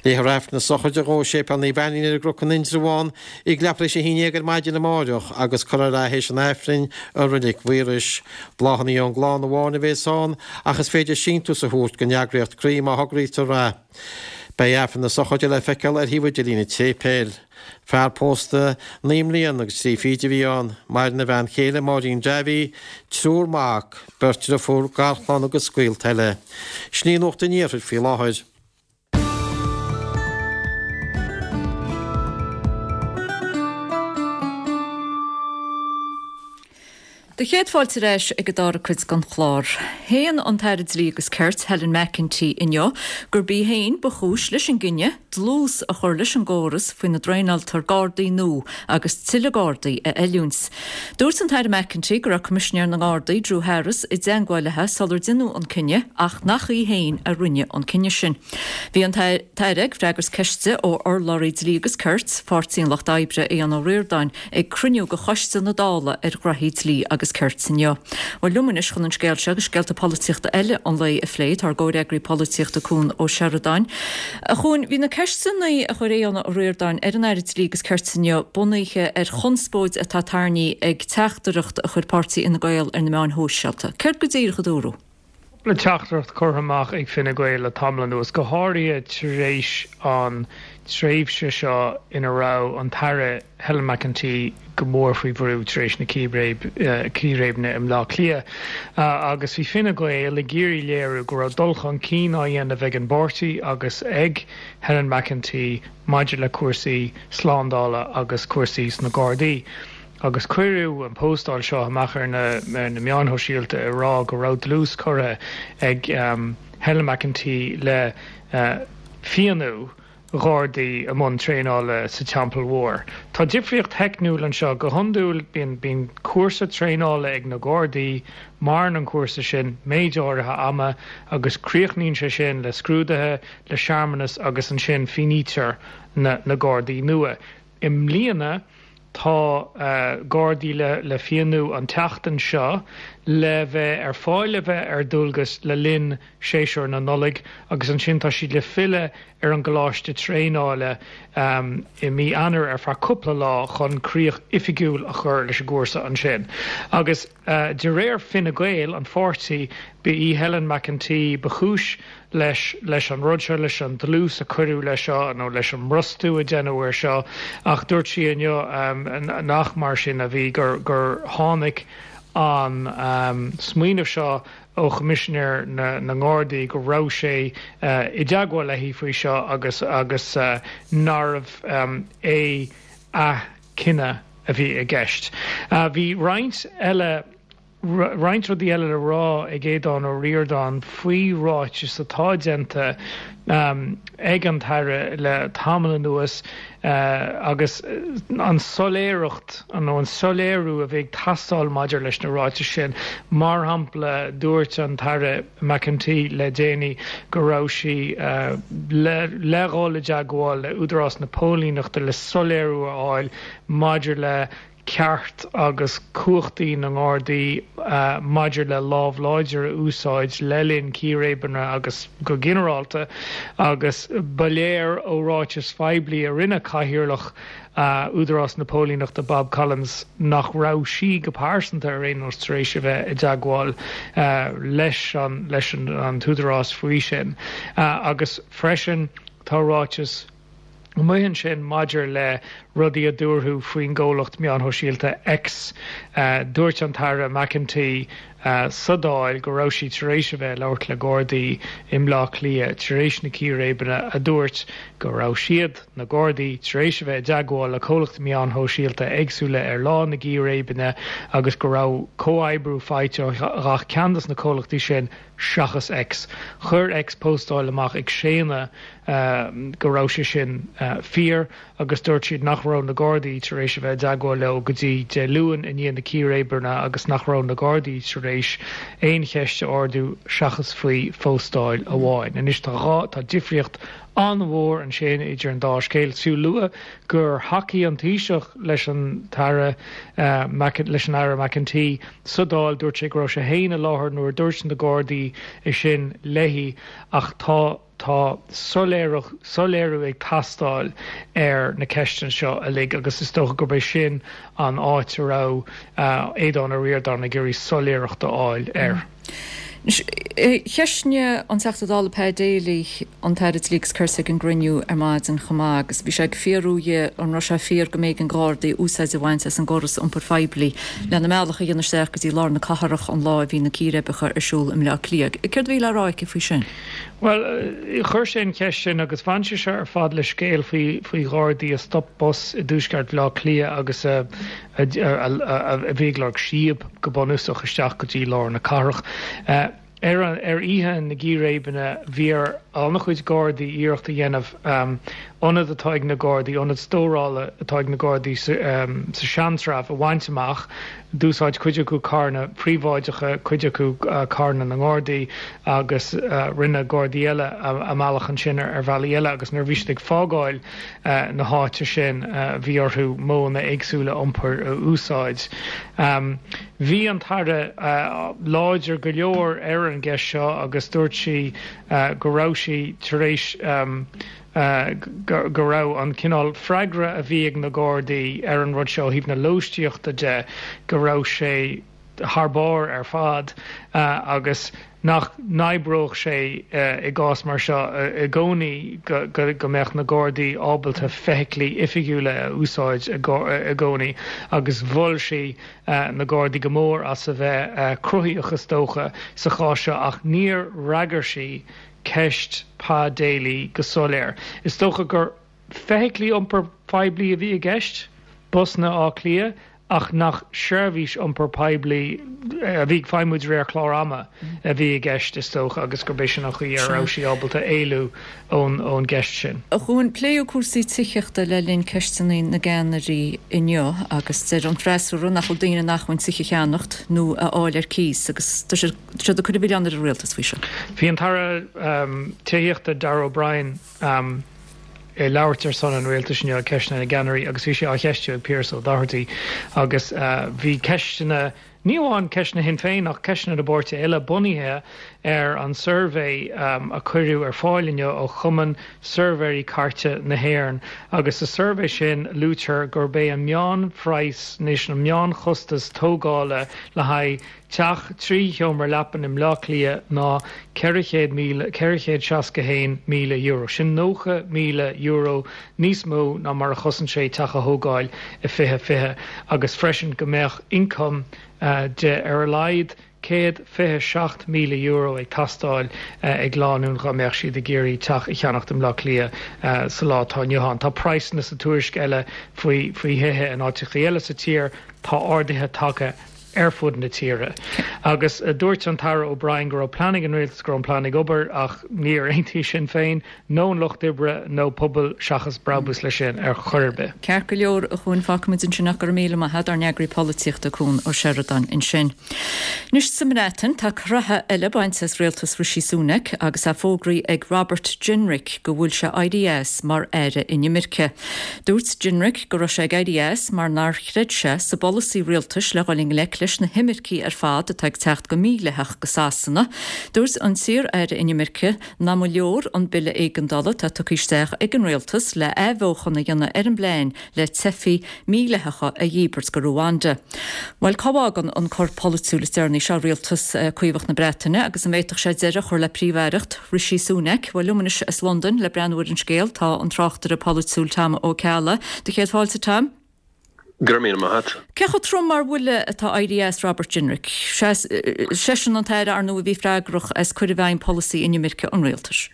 Léifear Aifreann na sochraide dhó i Séipéal Naomh Ainnín ar an gCnoc in Indreabhán ag leathuair tar éis a haon déag ar maidin amáireach agus cuirfear é théis an Aifrinn i Reilig Mhaorais. Bláthanna ón gclann amháin a bhéas ann ach is féidir síntiús a thabhairt don eagraíocht Croí má thograítear é. Beidh Aifreann na sochraide le feiceáil ar shuíomh idirlín an tséipéil. Fear pósta naoi mbliana agus trí fichid a bhí ann. Maireann a bhean chéile Máirín Davy, triúr mac, beirt driofúr, garchlann agus gaolta eile. Sin í Nuacht an Iarthair faoi láthair. Do chéad fáilte ar ais ag an dara cuid den chlár. Shéan an tAire Dlí agus Cirt, Helen McEntee inniu gurb í féin ba chúis leis an gcinneadh dlús a chur leis an gcóras faoina dtraenáiltear Gardaí nua agus tuilleadh Gardaí a oiliúint. Dúirt an tAire McEntee go raibh Coimisinéir na nGardaí, Drew Harris, i dteagmháil léi sular deineadh an cinneadh ach nach í féin a rinne an cinneadh sin. Bhí an tAire ag freagairt ceiste ó urlabhraí Dlí agus Cirt, Pháirtí an Lucht Oibre, Aodhán Ó Ríordáin, ag cruinniú de Choiste na Dála ar Ghnoithí Dlí agus agus Cirt inniu. Bhuel liom anois chun an scéal seo agus scéalta polaitíochta eile an lae a phlé, tá ár gcomhfhreagraí polaitíochta Cuan Ó Seireadáin. A Chuain, bhí na ceisteanna a chuir Aodhán Ó Ríordáin ar an Aire Dlí agus Cirt inniu bunaithe ar chonspóid atá tarraingthe ag teachtaireacht a chuir páirtí Fhine Gael ar na meáin shóisialta. Céard go díreach a dúradh? Cúpla teachtaireacht curtha amach ag Fine Gael le tamall anuas, go háirithe tar éis an tréimhse seo ina raibh an tAire Helen McEntee go mór faoi bhrú tar éis na círéibeanna i mBleá Cliath. Agus bhí Fine Gael ag iarraidh léiriú go raibh dul chun cinn á dhéanamh ag an bpáirtí agus ag Helen McEntee maidir le cúrsaí slándála agus cúrsaí sna Gardaí. Agus cuireadh an póstáil seo amach ar na ar na meáin shóisialta ag rá go raibh dlús curtha ag Helen McEntee le fianú Ghardaí i mbun traenála sa Teampall Mhór. Tá difríocht theicniúil anseo. Go hiondúil bíonn bíonn cúrsa traenála ag na Gardaí, maireann an cúrsa sin méid áirithe ama agus críochnaíonn sé sin le scrúduithe, le searmanas agus ansin fianaítear na na Gardaí nua. I mbliana tá Gardaí le le fianú an tseachtain seo le bheith ar fáil le bheith ar dualgas le linn séasúr na Nollag agus ansin tá siad le filleadh ar an gcoláiste traenála i mí Eanáir ar feadh cúpla lá chun críoch oifigiúil a chur leis an gcúrsa ansin. Agus de réir Fine Gael, an pháirtí, ba í Helen McEntee ba chúis leis leis an rud seo, leis an dlús a cuireadh leis seo nó leis an mbrostú a deineadh air seo ach dúirt sí inniu nach mar sin a bhí, gur gur tháinig an smaoineamh seo ó Choimisinéir na na nGardaí go raibh sé i dteagmháil léi faoi seo agus agus nárbh é a cinneadh a bhí i gceist. Bhí roinnt eile roinnt rudaí eile le rá ag Aodhán Ó Ríordáin faoi ráitis atá déanta ag an tAire le tamall anuas agus an soiléireacht nó an soiléiriú a bhí ag teastáil maidir leis na ráitis sin. Mar shampla, dúirt an tAire McEntee le déanaí go raibh sí le le dhul i dteagmháil le Údarás na Póilíneachta le soiléiriú a fháil maidir le ceart agus cumhachtaí na nGardaí maidir le lámh láidir a úsáid le linn círéibeanna agus go ginearálta agus ba léir ó ráitis phoiblí a rinne Cathaoirleach Údarás na Póilíneachta Bob Collins nach raibh sí go pearsanta ar aon nós tar éis a bheith i dteagmháil leis an leis an t-údarás faoi sin. Agus freisin tá ráiteas amuigh ansin maidir le rudaí a dúradh faoin gcomhlacht meán shóisialta X. Dúirt an tAire McEntee sa Dáil go raibh sí tar éis a bheith ag labhairt le Gardaí i mBleá Cliath tar éis na círéibeanna a dúirt go raibh siad, na Gardaí, tar éis a bheith i dteagmháil le comhlachtaí meán shóisialta éagsúla ar lá na gcíréibeanna agus go raibh comhoibriú faighte ó gach ceann de na comhlachtaí sin seachas X. Chuir X póstáil amach ag séanadh go raibh sé sin fíor agus dúirt siad nach raibh na Gardaí tar éis a bheith i dteagmháil leo go dtí Dé Luain i ndiaidh na círéibeanna agus nach raibh na Gardaí tar éis aon cheist a ardú seachas faoi phóstáil amháin. Anois tá dhá, tá difríocht an-mhór ansin idir an dá scéal. Is fiú lua gur thacaigh an Taoiseach leis an tAire leis an Aire McEntee sa Dáil, dúirt sé go raibh sé féin i láthair nuair a dúirt na Gardaí é sin léi ach tá tá soiléiriú ag teastáil ar na ceisteanna seo uilig agus is dócha gurb é sin an áit a raibh Aodhán Ó Ríordáin ag iarraidh soiléireacht a fháil air. Cheistigh an Teachta Dála Pa Daly an tAire Dlí agus Cirt ag an gcruinniú ar maidin chomh maith agus bhí sé ag fiafraí dhe an raibh sé fíor go mb'éigean do Ghardaí úsáid a bhaint as an gcóras iompair phoiblí lena mbealach a dhéanamh isteach go dtí lár na cathrach an lá a bhí na círéibeacha ar siúl i mBleá Cliath. Céard a bhí le rá aici faoi sin? Bhuel, chuir sé an cheist sin agus bhain sé seo ar fad le scéal faoi faoi Ghardaí a stop bus i dtuaisceart Bhaile Átha Cliath agus a a bhí ag lorg síob go bunúsach isteach go dtí lár na cathrach. Ar ar oíche na gcíréibeanna bhí ar an-chuid Gardaí iarracht a dhéanamh ionad atá ag na Gardaí, ionad stórála atá ag na Gardaí sa Seantrabh a bhaint amach. D'úsáid cuid acu carranna príobháideacha, cuid acu carranna na nGardaí agus rinne Gardaí eile a mbealach ansin ar bhealaí eile agus nuair a bhí siad ag fágáil na háite sin bhí orthu modhanna éagsúla iompair a úsáid. Bhí an tAire láidir go leor ar an gceist seo agus dúirt sí go raibh sí tar éis go raibh an cineál freagra a bhí ag na Gardaí ar an rud seo ó thaobh na lóistíochta de, go raibh sé thar barr ar fad agus nach n-oibreodh sé i gcás mar seo i gcónaí go mbeadh na Gardaí ábalta feithiclí oifigiúla a úsáid i gcónaí agus mhol sí na Gardaí go mór as a bheith cruthaíoch is dócha sa chás seo ach níor fhreagair sí ceist Pa Daly go soiléir. Is dócha gur feithiclí iompair phoiblí a bhí i gceist, busanna Átha Cliath, ach nach seirbhís iompair poiblí a bhí ag feidhmiú de réir clár ama a bhí i gceist, is dócha, agus gurb é sin an chaoi a raibh sí ábalta éalú ón ón gceist sin. A Chuain, pléadh cúrsaí tithíochta le linn Ceisteanna na gCeannairí inniu agus deir an freasúra nach bhfuil daoine in acmhainn tithe a cheannacht nó a fháil ar cíos agus tá siad ag cur an mhilleáin ar an rialtas faoi seo. Bhí an tAire Tithíochta Darragh O'Brien ag labhairt ar son an rialtais inniu ag Ceisteanna na gCeannairí agus bhí sé á cheistiú ag Pearse Ó Doherty agus bhí ceisteanna, ní amháin ceisteanna Shinn Féin ach ceisteanna na bpáirtithe eile bunaithe ar an suirbhé a cuireadh ar fáil inniu ó Chumann Suirbhéirí Cairte na hÉireann agus sa suirbhé sin luaitear gurb é an meánphraghas anois, an meánchostas tógála le haghaidh Teach trí sheomra leapan i mBleá Cliath ná ceithre chéad míle, ceithre chéad seasca haon míle euro. Sin nócha míle euro níos mó ná mar a chosain sé teach a thógáil i fiche fiche agus freisin go mbeadh ioncam de ar a laghad céad fiche seacht míle euro ag teastáil ag lánúin dhá mbeadh siad ag iarraidh teach a cheannacht i mBleá Cliath sa lá atá inniu ann. Tá praghsanna sa tuairisc eile faoi faoi thithe in áiteachaí eile sa tír, tá arduithe tagtha ar fud na tíre. Agus dúirt an tAire O'Brien go raibh plean ag an rialtas, go raibh an plean ag obair ach níor aontaigh Sinn Féin nó an Lucht Oibre nó Pobal Seachas Brabús leis sin ar chor ar bith. Ceart go leor, a Chuain, fágfaimid ansin ach go raibh míle maith agat, ár n-eagraí polaitíochta Cuan Ó Seireadáin ansin. Anois sa mBreatain, tá croitheadh eile bainte as rialtas Rishi Sunak agus é fógraithe ag Robert Jenrick go bhfuil sé éirí as mar Aire Inimirce. Dúirt Jenrick go raibh sé ag éirí as mar nár chreid sé sa bpolasaí rialtais le dhul i ngleic leis na himircigh ar fad atá ag teacht go mídhleathach go Sasana. Dúirt an t-iar-aire inimirce nach mba leor an bille éigeandála atá tugtha isteach ag an rialtas le athbheochan a dhéanamh ar an bplean le teifigh mhídhleathacha a dhíbirt go Ruanda. Bhuel, cá bhfágann an cor polaitiúil is deireanaí seo rialtas Caomhach na Breataine agus an bhféadfadh sé deireadh a chur le príomh-aireacht Rishi Sunak? Bhuel, liom anois as Londain le breathnú ar an scéal tá an tráchtaire polaitiúil Tom Ó Ceallaigh. Do chéad fáilte, Tom. Go raibh míle maith agat. Cé chomh trom mar bhuille atá éirí as Robert Jenrick? Seisean an t-aire, ar ndóigh, a bhí freagrach as cur i bhfeidhm polasaí inimirce an rialtais.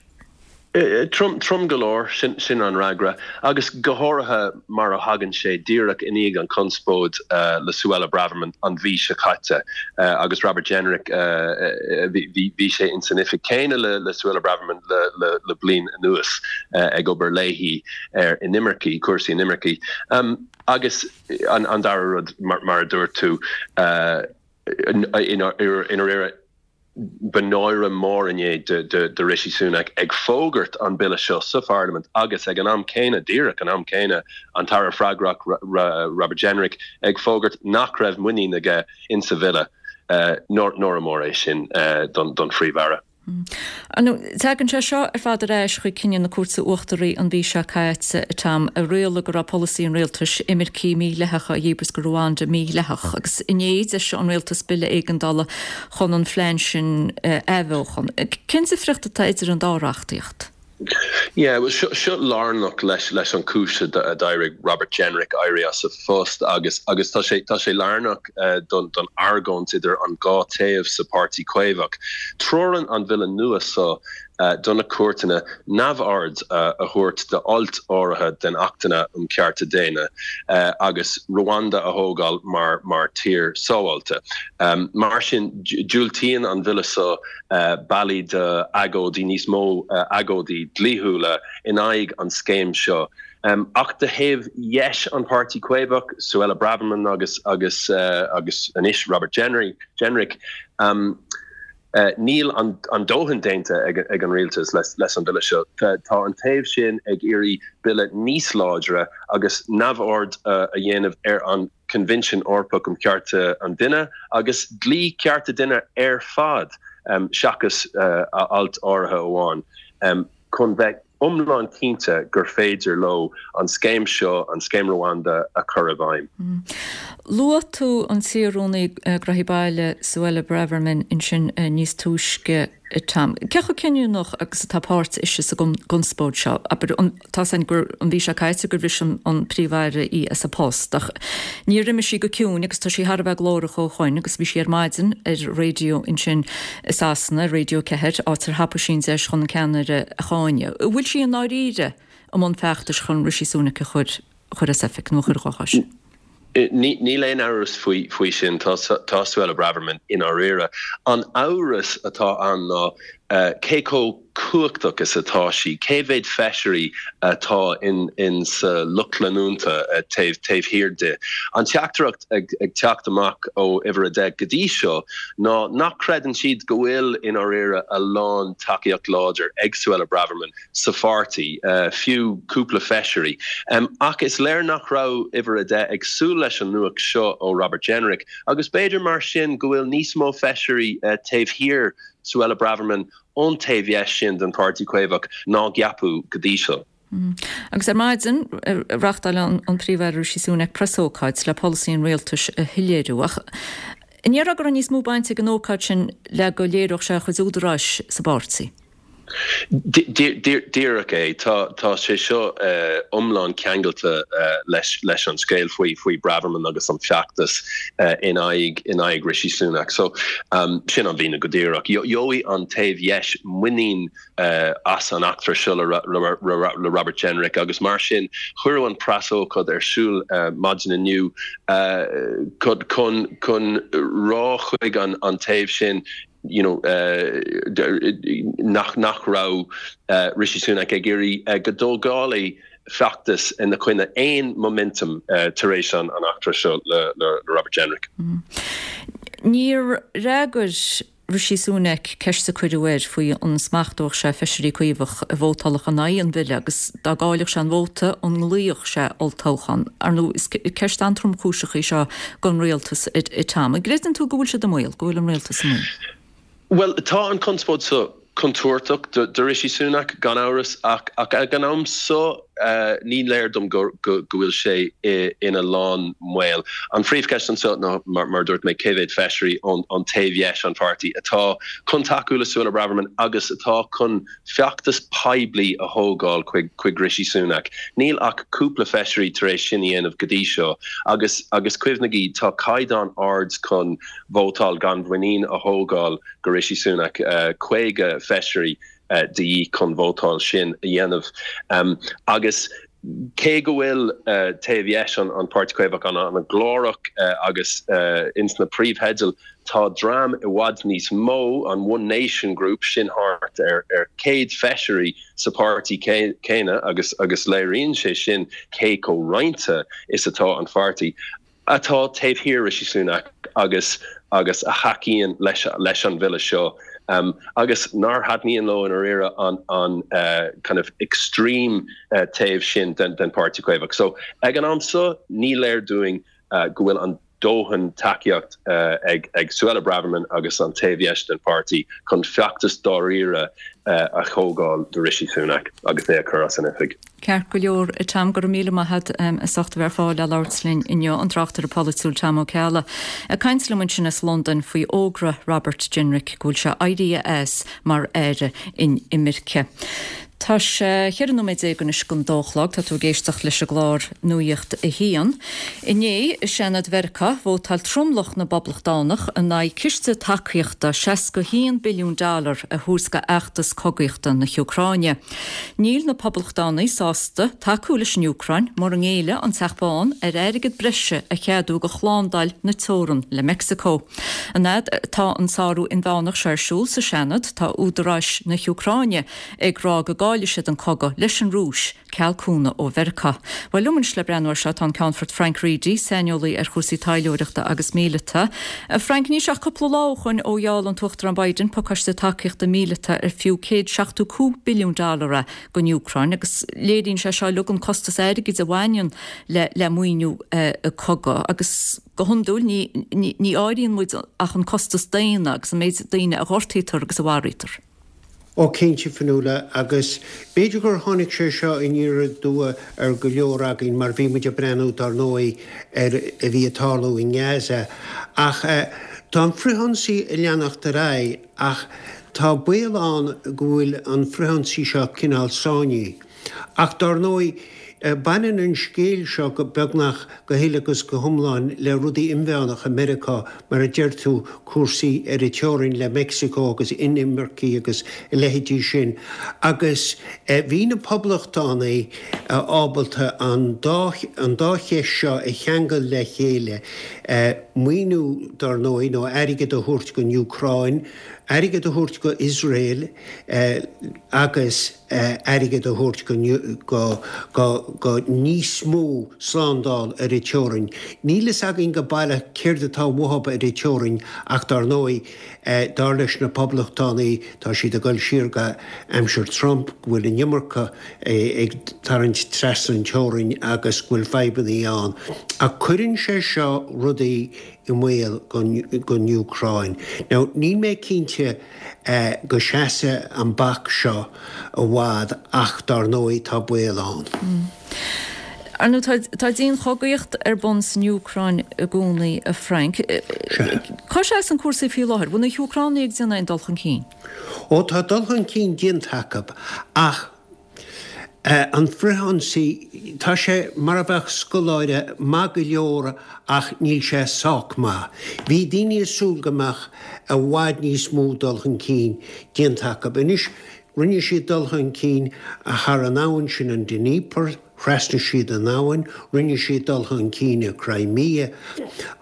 Trom, trom go leor, sin, sin an fhreagra. Agus go háirithe mar a thagann sé díreach i ndiaidh an chonspóid le Suella Braverman an mhí seo caite agus Robert Jenrick, bhí, bhí sé ins an oifig céanna le, le Suella Braverman le, le, le bliain anuas ag obair léi ar inimircigh, cúrsaí inimircigh. Agus an, an dara rud, mar, mar a dúirt tú, i ndáiríre, Ba náire mór inné do Rishi Sunak ag fógairt an bille seo sa pharlaimint agus ag an am céanna, díreach an am céanna, an tAire freagrach Robert Jenrick ag fógairt nach raibh muinín aige insa bhille. Náire mór é sin don Phríomh-Aire. Tagann sé seo ar fad ar ais chuig cinneadh na Cúirte Uachtaraí an mhí seo caite, a Tom, a rialaigh go raibh polasaí an rialtais imircigh mídhleathacha a dhíbirt go Ruanda mídhleathach agus inné d'eisigh an rialtas bille éigeandála chun an phlean sin a athbheochan. Cén difríocht atá idir an dá reachtaíocht? Yeah, well seo seo lárnach leis leis an cúis a d'éirigh Robert Jenrick éirí as a phost agus agus tá sé tá sé lárnach don don argóint idir an dhá taobh sa Páirtí Caomhach. Treorann an bhille nua seo do na cúirteanna neamhaird a thabhairt d'ailt áirithe den Achtanna um Cearta Daonna agus Rwanda a thógáil mar mar tír sábháilte. Mar sin diúltaíonn an bhille seo bealaí d'agóidí, níos mó agóidí dlíthiúla in aghaidh an scéim seo. Ach de thaobh dheis an Páirtí Caomhach, Suella Braverman agus agus agus anois Robert Jenrick, níl an dóthain déanta ag an rialtas leis an bhille seo. Tá an taobh sin ag iarraidh bille níos láidre agus neamhaird a dhéanamh ar an Coinbhinsiún Eorpach um Chearta an Duine agus dlí cearta duine ar fad seachas alt áirithe amháin chun bheith iomlán cinnte gur féidir leo an scéim seo, an scéim Rwanda, a chur i bhfeidhm. Luaigh tú an t-iar-Rúnaí Gnóthaí Baile Suella Braverman ansin níos túisce Tom. Cé chomh cinniúnach agus atá páirt ise sa gconspóid seo? Abair, tá a fhios againn gur an mhí seo caite gur bhris an Príomh-Aire í as a post ach níor imigh sí go ciúin agus tá sí thar a bheith glórach ó shoin agus bhí sí ar maidin ar raidió ansin i Sasana, Radio ceathair, áit ar thapaigh sí an deis chun an ceannaire a cháineadh. An bhfuil sí i ndáiríre i mbun feachtais chun Rishi Sunak a chur chur as oifig nó a chur dhá chois? Níl aon amhras faoi sin, tá Suella Braverman i ndáiríre. An amhras atá ann ná cé chomh cumhachtach is atá sí, cé mhéad feisirí atá in sa lucht leanúnta taobh taobh thiar di. An teachtaireacht ag teacht amach ó uimhir a deich go dtí seo ná nach creideann siad go bhfuil i ndáiríre a lán tacaíocht láidir ag Suella Braverman sa pháirtí, fiú cúpla feisirí. Ach is léir nach raibh uimhir a deich ag súil leis an nuacht seo ó Robert Jenrick agus b'fhéidir mar sin go bhfuil níos mó feisirí taobh thiar Suella Braverman ón taobh dheis sin den Pháirtí Caomhach ná ceapadh go dtí seo. Agus ar maidin, reáchtáil an Príomh-Aire Rishi Sunak preasócáid le polasaí an rialtais a shoiléiriú. Ach an ndéarfá go raibh níos mó baint ag an ócáid sin le go léireodh sé a chuid údaráis sa bpáirtí? Díreach é. Tá sé seo iomlán ceangailte leis an scéal faoi faoi Braverman agus an feachtas in aghaidh in aghaidh Rishi Sunak. So sin an mhíniú go díreach. Gheobhaidh an taobh dheis muinín as an eachtra seo le Robert Jenrick agus mar sin cuireadh an preasócáid ar siúl maidin inniu chun chun rá chuig an taobh sin you know nach nach raibh Rishi Sunak ag iarraidh go dtógálfaí feachtas ina choinne aon momentum tar éis an eachtra seo le le Robert Jenrick. Níor fhreagair Rishi Sunak ceist a cuireadh air faoi an smachtódh sé feisirí Caomhach a vótálfadh in aghaidh an bhille agus dá gcaillfeadh sé an vóta an nglaofadh sé olltoghchán. Ar ndóigh is ceist an-tromchúiseach í seo don rialtas a Tom. An gcreideann tú go bhfuil siad i mbaol, go bhfuil an rialtas i mbaol? Bhuel, tá an conspóid seo contúirteach do Rishi Sunak, gan amhras, ach ag an am seo ní léir dom go bhfuil sé ina lán mbaol. An phríomhcheist anseo ná, mar a dúirt mé, cé mhéad feisirí ón taobh dheis an pháirtí atá chun tacú le Suella Braverman agus atá chun feachtas poiblí a thógáil chuig Rishi Sunak. Níl ach cúpla feisirí tar éis sin a dhéanamh go dtí seo agus agus cuimhnigí, tá caighdeán ard chun vótáil gan mhuinín a thógáil go Rishi Sunak, caoga feisirí de dhíth chun vótáil sin a dhéanamh. Agus cé go bhfuil taobh dheis an Páirtí Caomhach an-ghlórach agus ins na príomhtheidil, tá dream i bhfad níos mó, an One Nation Group, sin thart ar céad feisirí sa pháirtí céanna agus agus léiríonn sé sin cé chomh roinnte is atá an pháirtí. atá taobh thiar Rishi Sunak agus agus a thacaíonn leis leis an bhille seo um, agus nár thaitníonn leo i ndáiríre an an uh, kind of extreme uh, taobh sin den den Páirtí Caomhach. So ag an am seo ní léir dúinn uh, go bhfuil an dóthain tacaíocht uh, ag ag Suella Braverman agus an taobh dheis den pháirtí chun feachtas dáiríre uh, a thógáil do Rishi Sunak agus é a chur as an oifig. Ceart go leor a Tom go raibh míle maith agat um, as ucht a bheith ar fáil le labhairt linn inniu an tráchtaire polaitiúil Tom Ó Ceallaigh. Ag caint liom ansin as Londain faoi fhógra Robert Jenrick go bhfuil sé éirithe as mar aire inimirce. Tá sé cheithre nóiméad déag anois don dó a chlog tá tú ag éisteacht leis an gclár Nuacht a hAon. Inné i Seanad Mheiriceá vótáil tromlach na bPoblachtánach in aghaidh ciste tacaíochta seasca haon billiún dollar a thabhairt do fheachtas cogaíochta na hÚcráine. Níl na Poblachtánaigh sásta tacú leis an Úcráin mura ngéilleann an Teach Bán ar airgead breise a cheadú do shlándáil na teorann le Meicsiceo. An fhad atá an sárú inmheánach seo ar siúl sa Seanad tá údaráis na hÚcráine ag rá go gcaillfidh siad an cogadh leis an Rúis ceal cúnamh ó Mheiriceá. Bhuel liom anois le breathnú air seo tá an Ceannfort Frank Reidy, saineolaí ar chúrsaí taidhleoireachta agus míleata. Frank níl ach cúpla lá ó shin ó gheall an tUachtarán Biden pacáiste tacaíochta míleata ar fiú céad seachtó cúig billiún dollar é don Úcráin agus léiríonn sé seo uilig an costas airgid a bhaineann le le maoiniú uh, cogadh agus go hiondúil ní, ní, ní áiríonn muid ach an costas daonna agus an méid daoine a ghortaítear agus a mharaítear. Ó cinnte Fionnuala agus b'fhéidir gur tháinig sé seo aniar aduaidh ar go leor againn mar bhí muid ag breathnú dar ndóigh ar a bhí ag tarlú i nGaza. Ach eh, tá an frithionsaí ag leanacht ar aghaidh ach tá baol ann go bhfuil an frithionsaí seo cineál sáinnithe. Ach dar ndóigh baineann an scéal seo go beagnach go huile agus go hiomlán le rudaí inmheánacha Meiriceá mar a deir tú cúrsaí ar an teorainn le Meicsiceo agus inimircigh agus a leithéidí sin. Agus bhí na poblachtánaigh ábalta an dá an dá cheist seo a cheangal le chéile, maoiniú dar ndóigh nó airgead a thabhairt don Úcráin, airgead a thabhairt go Iosrael agus airgead a thabhairt go go go níos mó slándáil ar an teorainn. Níl a fhios againn go baileach céard atá uathu ar an teorainn ach dar ndóigh dar leis na poblachtánaigh tá siad ag dul siar go aimsir Trump go bhfuil an iomarca ag tarraingt trasna an teorainn agus go bhfuil fadhbanna ann. Ach cuireann sé seo rudaí i mbaol don Úcráin. Now níl mé cinnte go seasfaidh an bac seo i bhfad ach dar ndóigh tá baol ann. Ar ndóigh tá dianchogaíocht ar bun san Úcráin i gcónaí a Frank. Cá seasann cúrsaí faoi láthair, bhfuil na hÚcránaigh ag déanamh aon dul chun cinn? Ó tá dul chun cinn déanta acu ach an frithionsaí, tá sé mar a bheadh scoláire maith go leor ach níl sé sách maith. Bhí daoine ag súil go mbeadh i bhfad níos mó dul chun cinn déanta acu. Anois rinne siad dul chun cinn thar an abhainn sin an Dnieper, thrasnaigh siad an abhainn, rinne siad dul chun cinn i Crimea.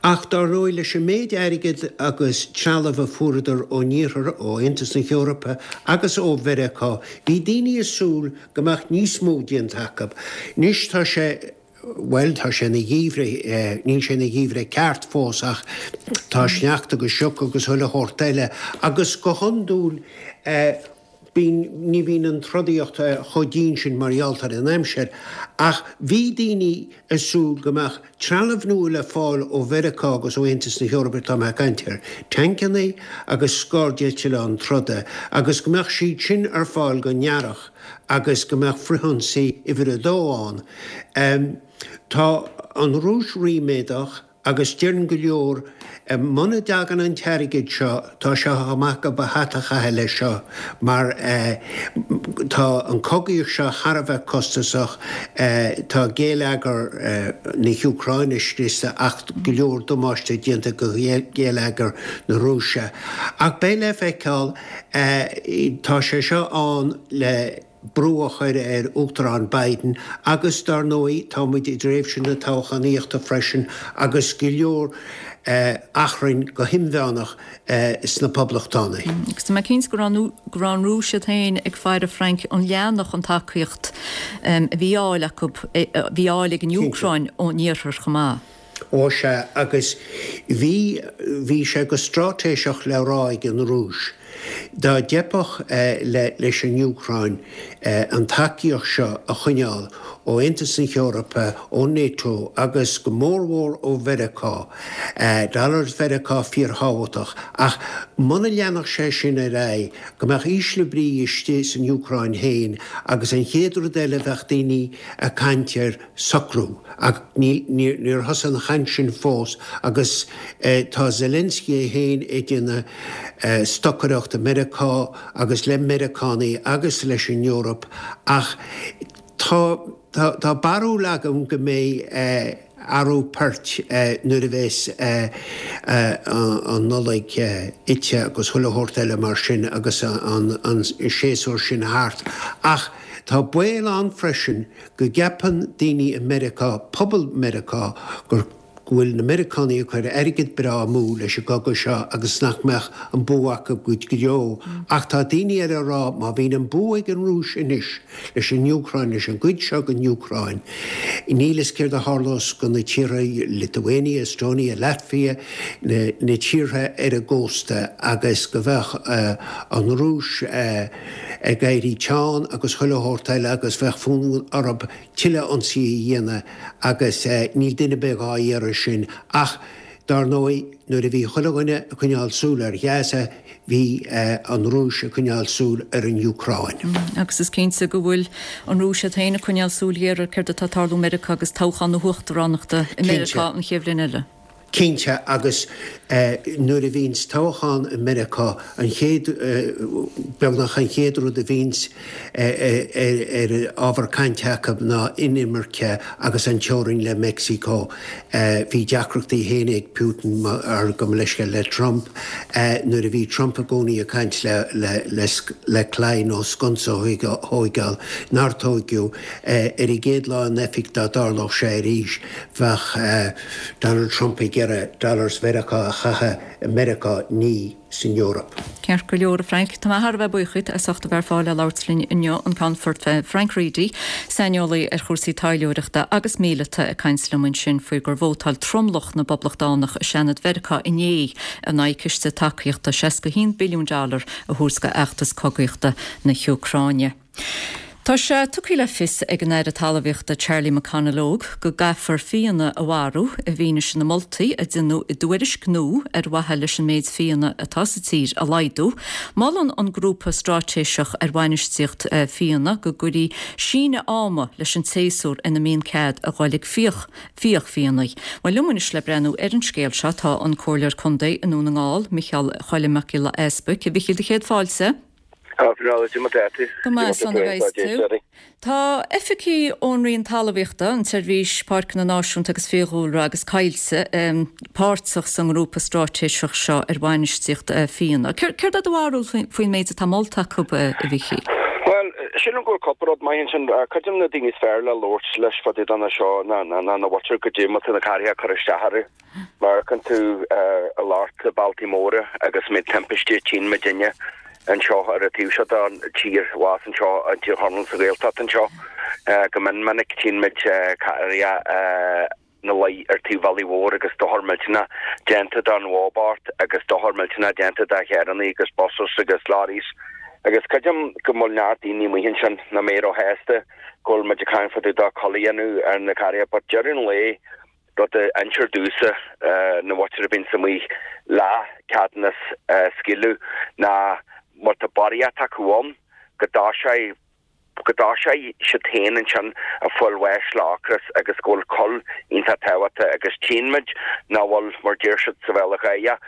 Ach dar ndóigh leis an méid airgid agus trealamh a fuaireadar ón Iarthar, ó Aontas na hEorpa agus ó Mheiriceá, bhí daoine ag súil go mbeadh níos mó déanta acu. Anois tá sé bhuel tá sé ina gheimhreadh, níl sé ina gheimhreadh ceart fós ach tá sneachta agus sioc agus chuile shórt eile agus go hiondúil bíonn, ní bhíonn an trodaíocht chomh dian sin mar gheall ar an aimsir ach bhí daoine ag súil go mbeadh trealamh nua le fáil ó Mheiriceá agus ó Aontas na hEorpa tá mé ag caint ar tancanna agus scairdeitleáin troda agus go mbeadh siad sin ar fáil don earrach agus go mbeadh frithionsaí uimhir a dó ann. Tá an Rúis ríméadach Agus deireann go leor, muna dtagann an t-airgead seo, tá sé chomh maith gob a hata a chaitheamh leis seo mar tá an chogaíocht seo thar a bheith costasach, tá géilleagar na hÚcráine scriosta ach go leor damáiste déanta go ghéilleagar na Rúise. Ach beidh le feiceáil, tá sé seo ann le. brú a chur ar Uachtarán Biden agus dar ndóigh tá muid i dtréimhse na toghchánaíochta freisin agus go leor achrainn go himmheánach sna Poblachtánaigh. Agus tá mé cinnte go raibh go raibh an Rúis iad féin ag faire Frank an leanfadh an tacaíocht a bhí á fháil acu, a bhí á fháil ag an Úcráin ón Iarthar chomh maith. Ó sea, agus bhí, bhí sé go straitéiseach le rá ag an Rúis, dá dteipfeadh leis an Úcráin an tacaíocht seo a choinneáil ó Aontas na hEorpa, ó NATO agus go mórmhór ó Mheiriceá, dollars Mheiriceá fíorthábhachtach, ach muna leanfadh sé sin ar aghaidh, go mbeadh ísle brí istigh san Úcráin féin agus an chéad rud eile bheadh daoine ag caint ar socrú. Ach níor thosaigh an chaint sin fós agus tá Zelensky é féin ag déanamh stocaireacht i Meiriceá agus le Meiriceánaigh agus leis an Eoraip ach tá tá barúil agam go mbeidh athrú poirt nuair a bheas an Nollaig ite agus chuile shórt eile mar sin agus an séasúr sin thart. Ach tá baol ann freisin go gceapann daoine i Meiriceá, pobal Meiriceá, gur go bhfuil na Meiriceánaigh ag cur airgead breá amú leis an gcogadh seo agus nach mbeadh an bua acu go deo. Ach tá daoine eile ag rá má bhíonn an bua ag an Rúis anois leis an Úcráin, leis an gcuid seo den Úcráin, níl fhios céard a tharlós go na tíortha, Lithuania, Estonia, Latvia, na na tíortha ar an gcósta agus go bheadh an Rúis ag éirí teann agus chuile shórt eile agus bheadh fonn orthu tuilleadh ionsaí a dhéanamh agus níl duine ar bith dhá iarraidh sin ach dar ndóigh nuair a bhí chuile dhuine ag coinneáil súil ar Ghaza bhí an Rúis ag coinneáil súil ar an Úcráin. Agus is cinnte go bhfuil an Rúis iad féin ag coinneáil súil ghéar ar céard atá ag tarlú i Meiriceá agus toghchán na huachtaránachta i Meiriceá an chéad bhliain eile. Cinnte, agus nuair a bhíonns toghchán i Meiriceá, an chéad, beagnach an chéad rud a bhíonns ar ábhar cainte acu ná inimirce agus an teorainn le Meicsiceo. Bhí deacrachtaí féin ag Putin, ar gabh mo leithscéal, le Trump nuair a bhí Trump i gcónaí ag caint le, le, le, le claí nó sconsa a thóigeáil, nár tóigeadh, ar an gcéad lá in oifig dá dtarlódh sé arís, bheadh Donald Trump ag iarraidh dollars Mheiriceá a chaitheamh i Meiriceá, ní san Eoraip. Ceart go leor, a Frank. Tá mé thar a bheith buíoch díot as ucht a bheith ar fáil le labhairt linn inniu, an Ceannfort Frank Reidy, saineolaí ar chúrsaí taidhleoireachta agus míleata ag caint liom ansin faoi gur vótáil tromlach na bPoblachtánach i Seanad Mheiriceá inné in aghaidh ciste tacaíochta seasca haon billiún dollar a thabhairt do fheachtas cogaíochta na hÚcráine. Tá sé tugtha le fios ag an Aire Talmhaíochta Charlie McConalogue go gcaithfear fianna a mharú i bhfianaise na moltaí a deineadh i dtuairisc nua ar mhaithe leis an méid fianna atá sa tír a laghdú. Molann an Grúpa Straitéiseach ar Bhainistíocht Fianna go gcuirfí síneadh ama leis an tséasúr ina mbíonn cead a dhul ag fiach fiach fianna. Bhuel liom anois le breathnú ar an scéal seo tá an Comhairleoir Contae i nDún na nGall, Micheál Choilm Mac Giolla Easbuic. A Mhichíl, do chéad fáilte. Go maith, slán a bheas tú. Tá oifigigh ón Roinn Talmhaíochta, an tSeirbhís Páirceanna Náisiúnta agus Fiadhúlra agus Coillte páirteach sa ngrúpa straitéiseach seo ar bhainistíocht fianna. Céard é do bharúil faoin méid atá molta acu, a Mhichíl? Bhuel, sílim go bhfuil cúpla rud maith ansin. Cuid de na daoine is fearr le labhairt leis fá dtaobh de seo ná na muintir goidé má tá na carraithe ag cur isteach orthu. Mar amharcann tú i lár na bealtaí móra agus méid timpistí a tchíonn muidinne anseo ar an taobh seo den tír, abhus anseo i dTír Chonaill sa Ghaeltacht anseo. Go mion minic tchíonn muid carraithe ina luí ar taobh bealaigh mhóir agus dochar millteanach déanta don bhó bocht agus dochar millteanach déanta do charrannaí agus buses agus lorries agus creidim go bhfuil neart daoine amuigh ansin nach mbeidh róshásta go bhfuil muid ag caint fá dtaobh de cul a dhéanamh ar na carraithe but deireadh an lae rud a instear domhsa na mhuintir a bhíonns amuigh le ceadúnas a scaoileadh ná má tá barraíocht acu ann go dtoiseoidh go dtoiseoidh siad féin ansin ag fáil bháis le ocras agus go bhfuil cuil iontach tábhachtach agus tchíonn muid nach bhfuil mar deir siad sa Bhéarla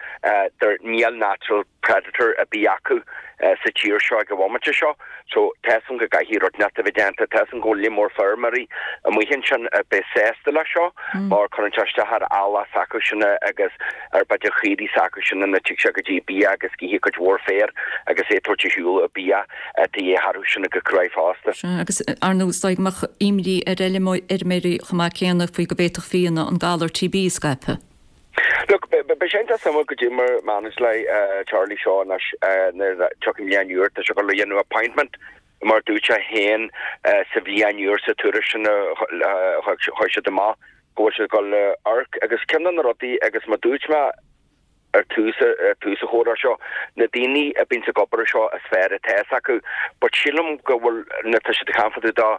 there níl natural predator ar bith acu sa tír seo ag an bhomaite seo. So tá 'fhios a'm go gcaithfidh rud inteacht a bheith déanta, tá 'fhios a'm go bhfuil líon mór feirmeoirí amuigh ansin a bheidh sásta leis seo mar cuireann sé isteach ar eallach s'acusan agus ar b'fhéidir chaoirigh s'acusan ina dtig sé go dtí bia agus go cuid mhór féir agus é ag tabhairt ar shiúl bia a dhíth orthu sin go cruaidh fosta. Sea, agus ar ndóigh is dóigh go mbeadh imní ar fheirmeoirí chomh maith céanna faoi go bhféadfadh fianna an galar TB a scaipeadh. Look, beidh sé iontach suimiúil goidé mar manage le Charlie seo anois nuair a tiocfaidh an bhliain úr, tá sé ag dul a dhéanamh appointment mar dúirt sé féin sa bhliain úr sa tuairisc sin a chuir siad amach go bhfuil siad ag dul amharc agus ceann de na rudaí agus mar dúirt mé ar tús ar tús an chomhrá seo na daoine a bíonn ag obair seo is fearr atá fhios acu but sílim go bhfuil na tá siad ag caint fá dtaobh de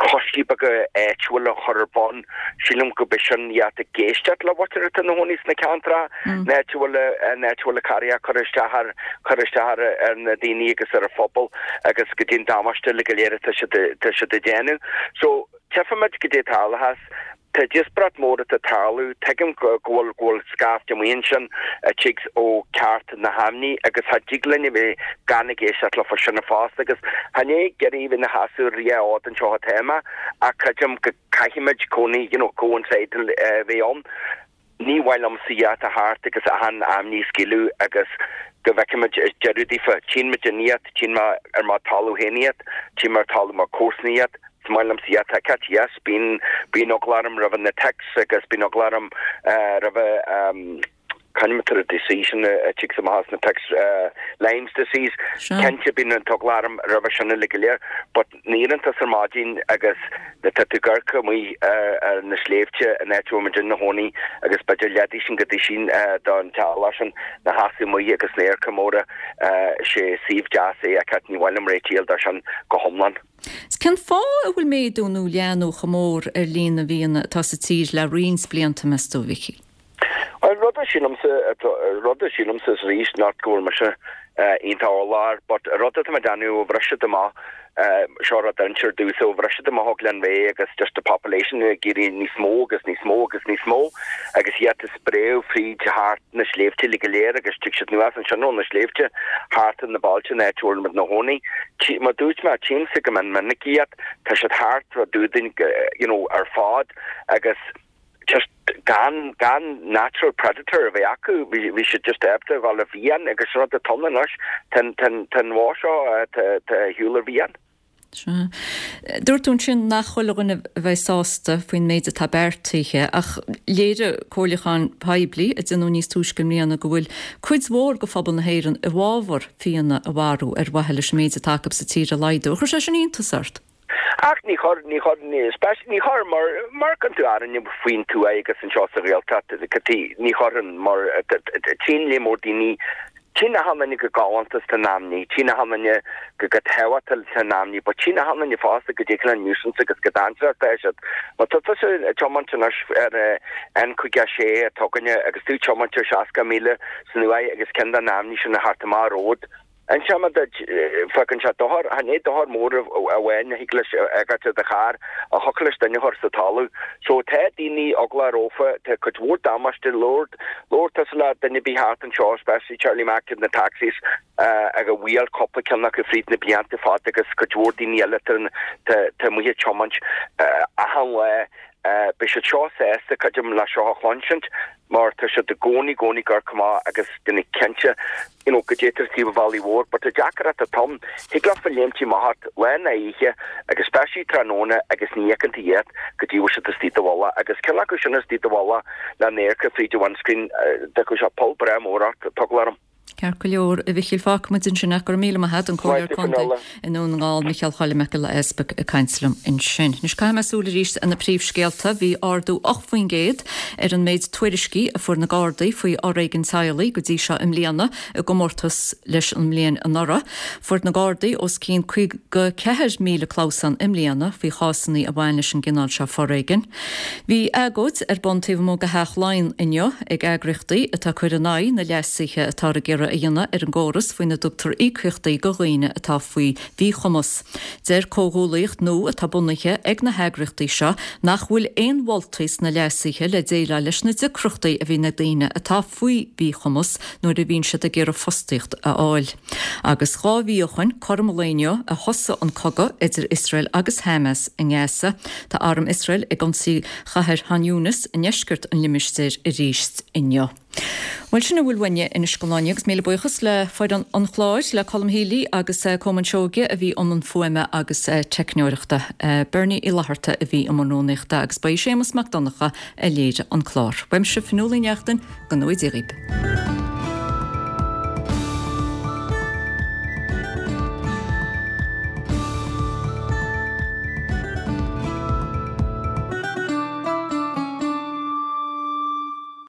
coistí beaga áitiúil a chur ar bun sílim go b'é sin iad ag éisteacht le mhuintir atá ina gcónaí sna ceantracha an áit a bhfuil an áit a bhfuil na carraí ag cur isteach ar cur isteach ar ar na daoine agus ar an phobal agus go dtí an damáiste uilig go léir atá siad atá siad ag déanamh so Tchífimid goidé tarlóchas. Tá díospóireacht mór atá ag tarlú. Tuigim go bhfuil go bhfuil scaifte amuigh ansin a tig ó ceart na haimní agus cha dtig linn a bheith gan ag éisteacht leofa sin fosta agus chan é ag iarraidh bheith ina sheasamh rí-ard anseo atá mé ach creidim go caithfimid cónaí you know coincide a bheith ann. Ní mhaith liomsa iad a thart agus achan aimní a scaoileadh agus go bhfeicfimid deireadh daofa. Tchíonn muid in iad, tchíonn mé ar mo talamh féin iad, tchíonn mé ar talamh mo comharsana iad. Is maith liomsa iad a fheiceáilt, yes, bíonn, bíonn eagla orm roimhe na ticks agus bíonn eagla orm roimhe c'ainm atá ar an disease sin a tig amach as na ticks, Lyme's disease. Cinnte bíonn an t-eagla orm roimhe sin uilig go léir but nuair a éiríonn tusa ar maidin agus nuair atá tú ag amharc amuigh ar na sléibhte an áit a bhfuil muid ina chónaí agus b'fhéidir leathduisín go duisín don teaghlach sin ina sheasamh amuigh agus na radharca móra sé suíomh deas é a fheiceáilt ní mhaith liom réiteach a fháil dó sin go hiomlán. Cén fáth a bhfuil méadú nó leathnú chomh mór ar líon na bhfianna atá sa tír le roinnt blianta, meas tú, a Mhichíl? Bhuel, rud a sílimse, rud a sílimse is arís not go bhfuil mise iontach eolach air, but rud atá mé ag déanamh ó bhris siad amach, seo rud a insear domhsa, ó bhris siad amach ó Ghleann Bheatha agus just the population ag éirí níos mó agus níos mó agus níos mó agus iad ag spréadh fríd thart na sléibhte uilig go léir agus tig siad anuas ansin ó na sléibhte thart ar na bailte an áit a bhfuil muid ina chónaí. Mar dúirt mé, tchímse go mion minic iad, tá siad thart fá dtaobh dúinn you know ar fad agus just gan gan natural predator a bheith acu bhí bhí siad just ábalta a dhul ar mhian agus rud atá ann anois tá tá tá an bhó seo tá tá ar shiúl ar mhian. Sea. Dúirt tú ansin nach chuile dhuine a bheidh sásta faoin méid atá beartaithe ach léirigh comhairliúchán poiblí a déanadh níos túisce i mbliana go bhfuil cuid mhór de phobal na hÉireann i bhfabhar fianna a mharú ar mhaithe leis an méid atá acu sa tír a laghdú. Ar chuir sé sin iontas ort? Ach ní chuir, ní chuir, ní chuir, mar, mar amharcann tú orainne faoin tuath agus anseo sa Ghaeltacht, ní chuireann, mar tchíonn léar mór daoine, tchíonn achan duine go galánta is tá an aimní, tchíonn achan duine go go tábhachtach tá an aimní, but tchíonn achan duine fosta goidé cineál nuisance agus go dainséarach atá siad. Má tá tusa ag tiomáint anois ar N caoga a sé atá againne agus tú ag tiomáint ar seasca míle san uair agus ceann den aimní sin a theacht amach ar ród, Inseoidh mé duit, fágann sé dochar, chan é dochar mór amháin a thig leis a fhágáilt ar do charr, ach thiocfadh leis duine a chur sa talamh. So tá daoine eaglach rófa, tá cuid mhór damáiste, labhair, labhair tusa le duine ar bith thart anseo, especially Charlie Mac na taxis, ag a bhuail cúpla ceann acu fríd na blianta fada agus cuid mhór daoine eile tá, tá, tá amuigh ag tiomáint achan lá. Beidh siad seo sásta, creidim, le seo a chluinsint mar tá siad i gcónaí, gcónaí ag amharc amach agus déanamh cinnte you know goidé atá ar taobh an bhealaigh mhóir but tá deacracht atá ann, thig leofa léimtí amach ort lá ná oíche agus especially tráthnóna agus ní fheiceann tú iad go dtí bhfuil siad istigh i do mhullach agus ceann acu sin istigh i do mhullach le n-amharc fríd an windscreen d'fhágfadh sé poll breá mór ort, tá eagla orm. Ceart go leor, a Mhichíl, fágfaidh muid ansin ach go raibh míle maith agat, an Comhairleoir Contae i nDún na nGall, Micheál Choilm Mac Giolla Easpaig ag caint liom ansin. Anois caithfidh mé súil arís ar na príomhscéalta. Bhí ardú ocht faoin gcéad ar an méid tuairiscí a fuair na Gardaí faoi fhoréigean teaghlaigh go dtí seo i mbliana i gcomórtas leis an mbliain anuraidh. Fuair na Gardaí os cionn caoga ceathair míle clamhsán i mbliana faoi chásanna a bhain leis an gcineál seo foréigin. Bhí agóid ar bun taobh amuigh de Theach Laighean inniu ag eagraíochtaí atá ag cur in aghaidh na leasuithe atáthar ag iarraidh a dhéanamh ar an gcóras faoina dtugtar íocaíochtaí do dhaoine atá faoi mhíchumas. Deir comhghuaillíocht nua atá bunaithe ag na heagraíochtaí seo nach bhfuil aon mholtaí sna leasuithe le déileáil leis na deacrachtaí a bhíonn ag daoine atá faoi mhíchumas nuair a bhíonn siad ag iarraidh fostaíocht a fháil. Agus dhá mhí ó shoin, cothrom an lae inniu, a thosaigh an cogadh idir Iosrael agus Hamas i nGaza. Tá arm Iosrael ag ionsaí chathair Khan Younis i ndeisceart an limistéir arís inniu. Bhuel, sin a bhfuil uainne anois don lá inniu agus míle buíochas le foireann an chláir, le Colm Healy agus Colman Seoige a bhí i mbun fuaime agus teicneoireachta, Bernie Uí Fhlatharta a bhí i mbun rúnaíochta agus ba é Séamus Mac Donncha a léirigh an clár. Uaimse Fionnuala Ní Neachtain, go ngnóthaí Dia dhaoibh.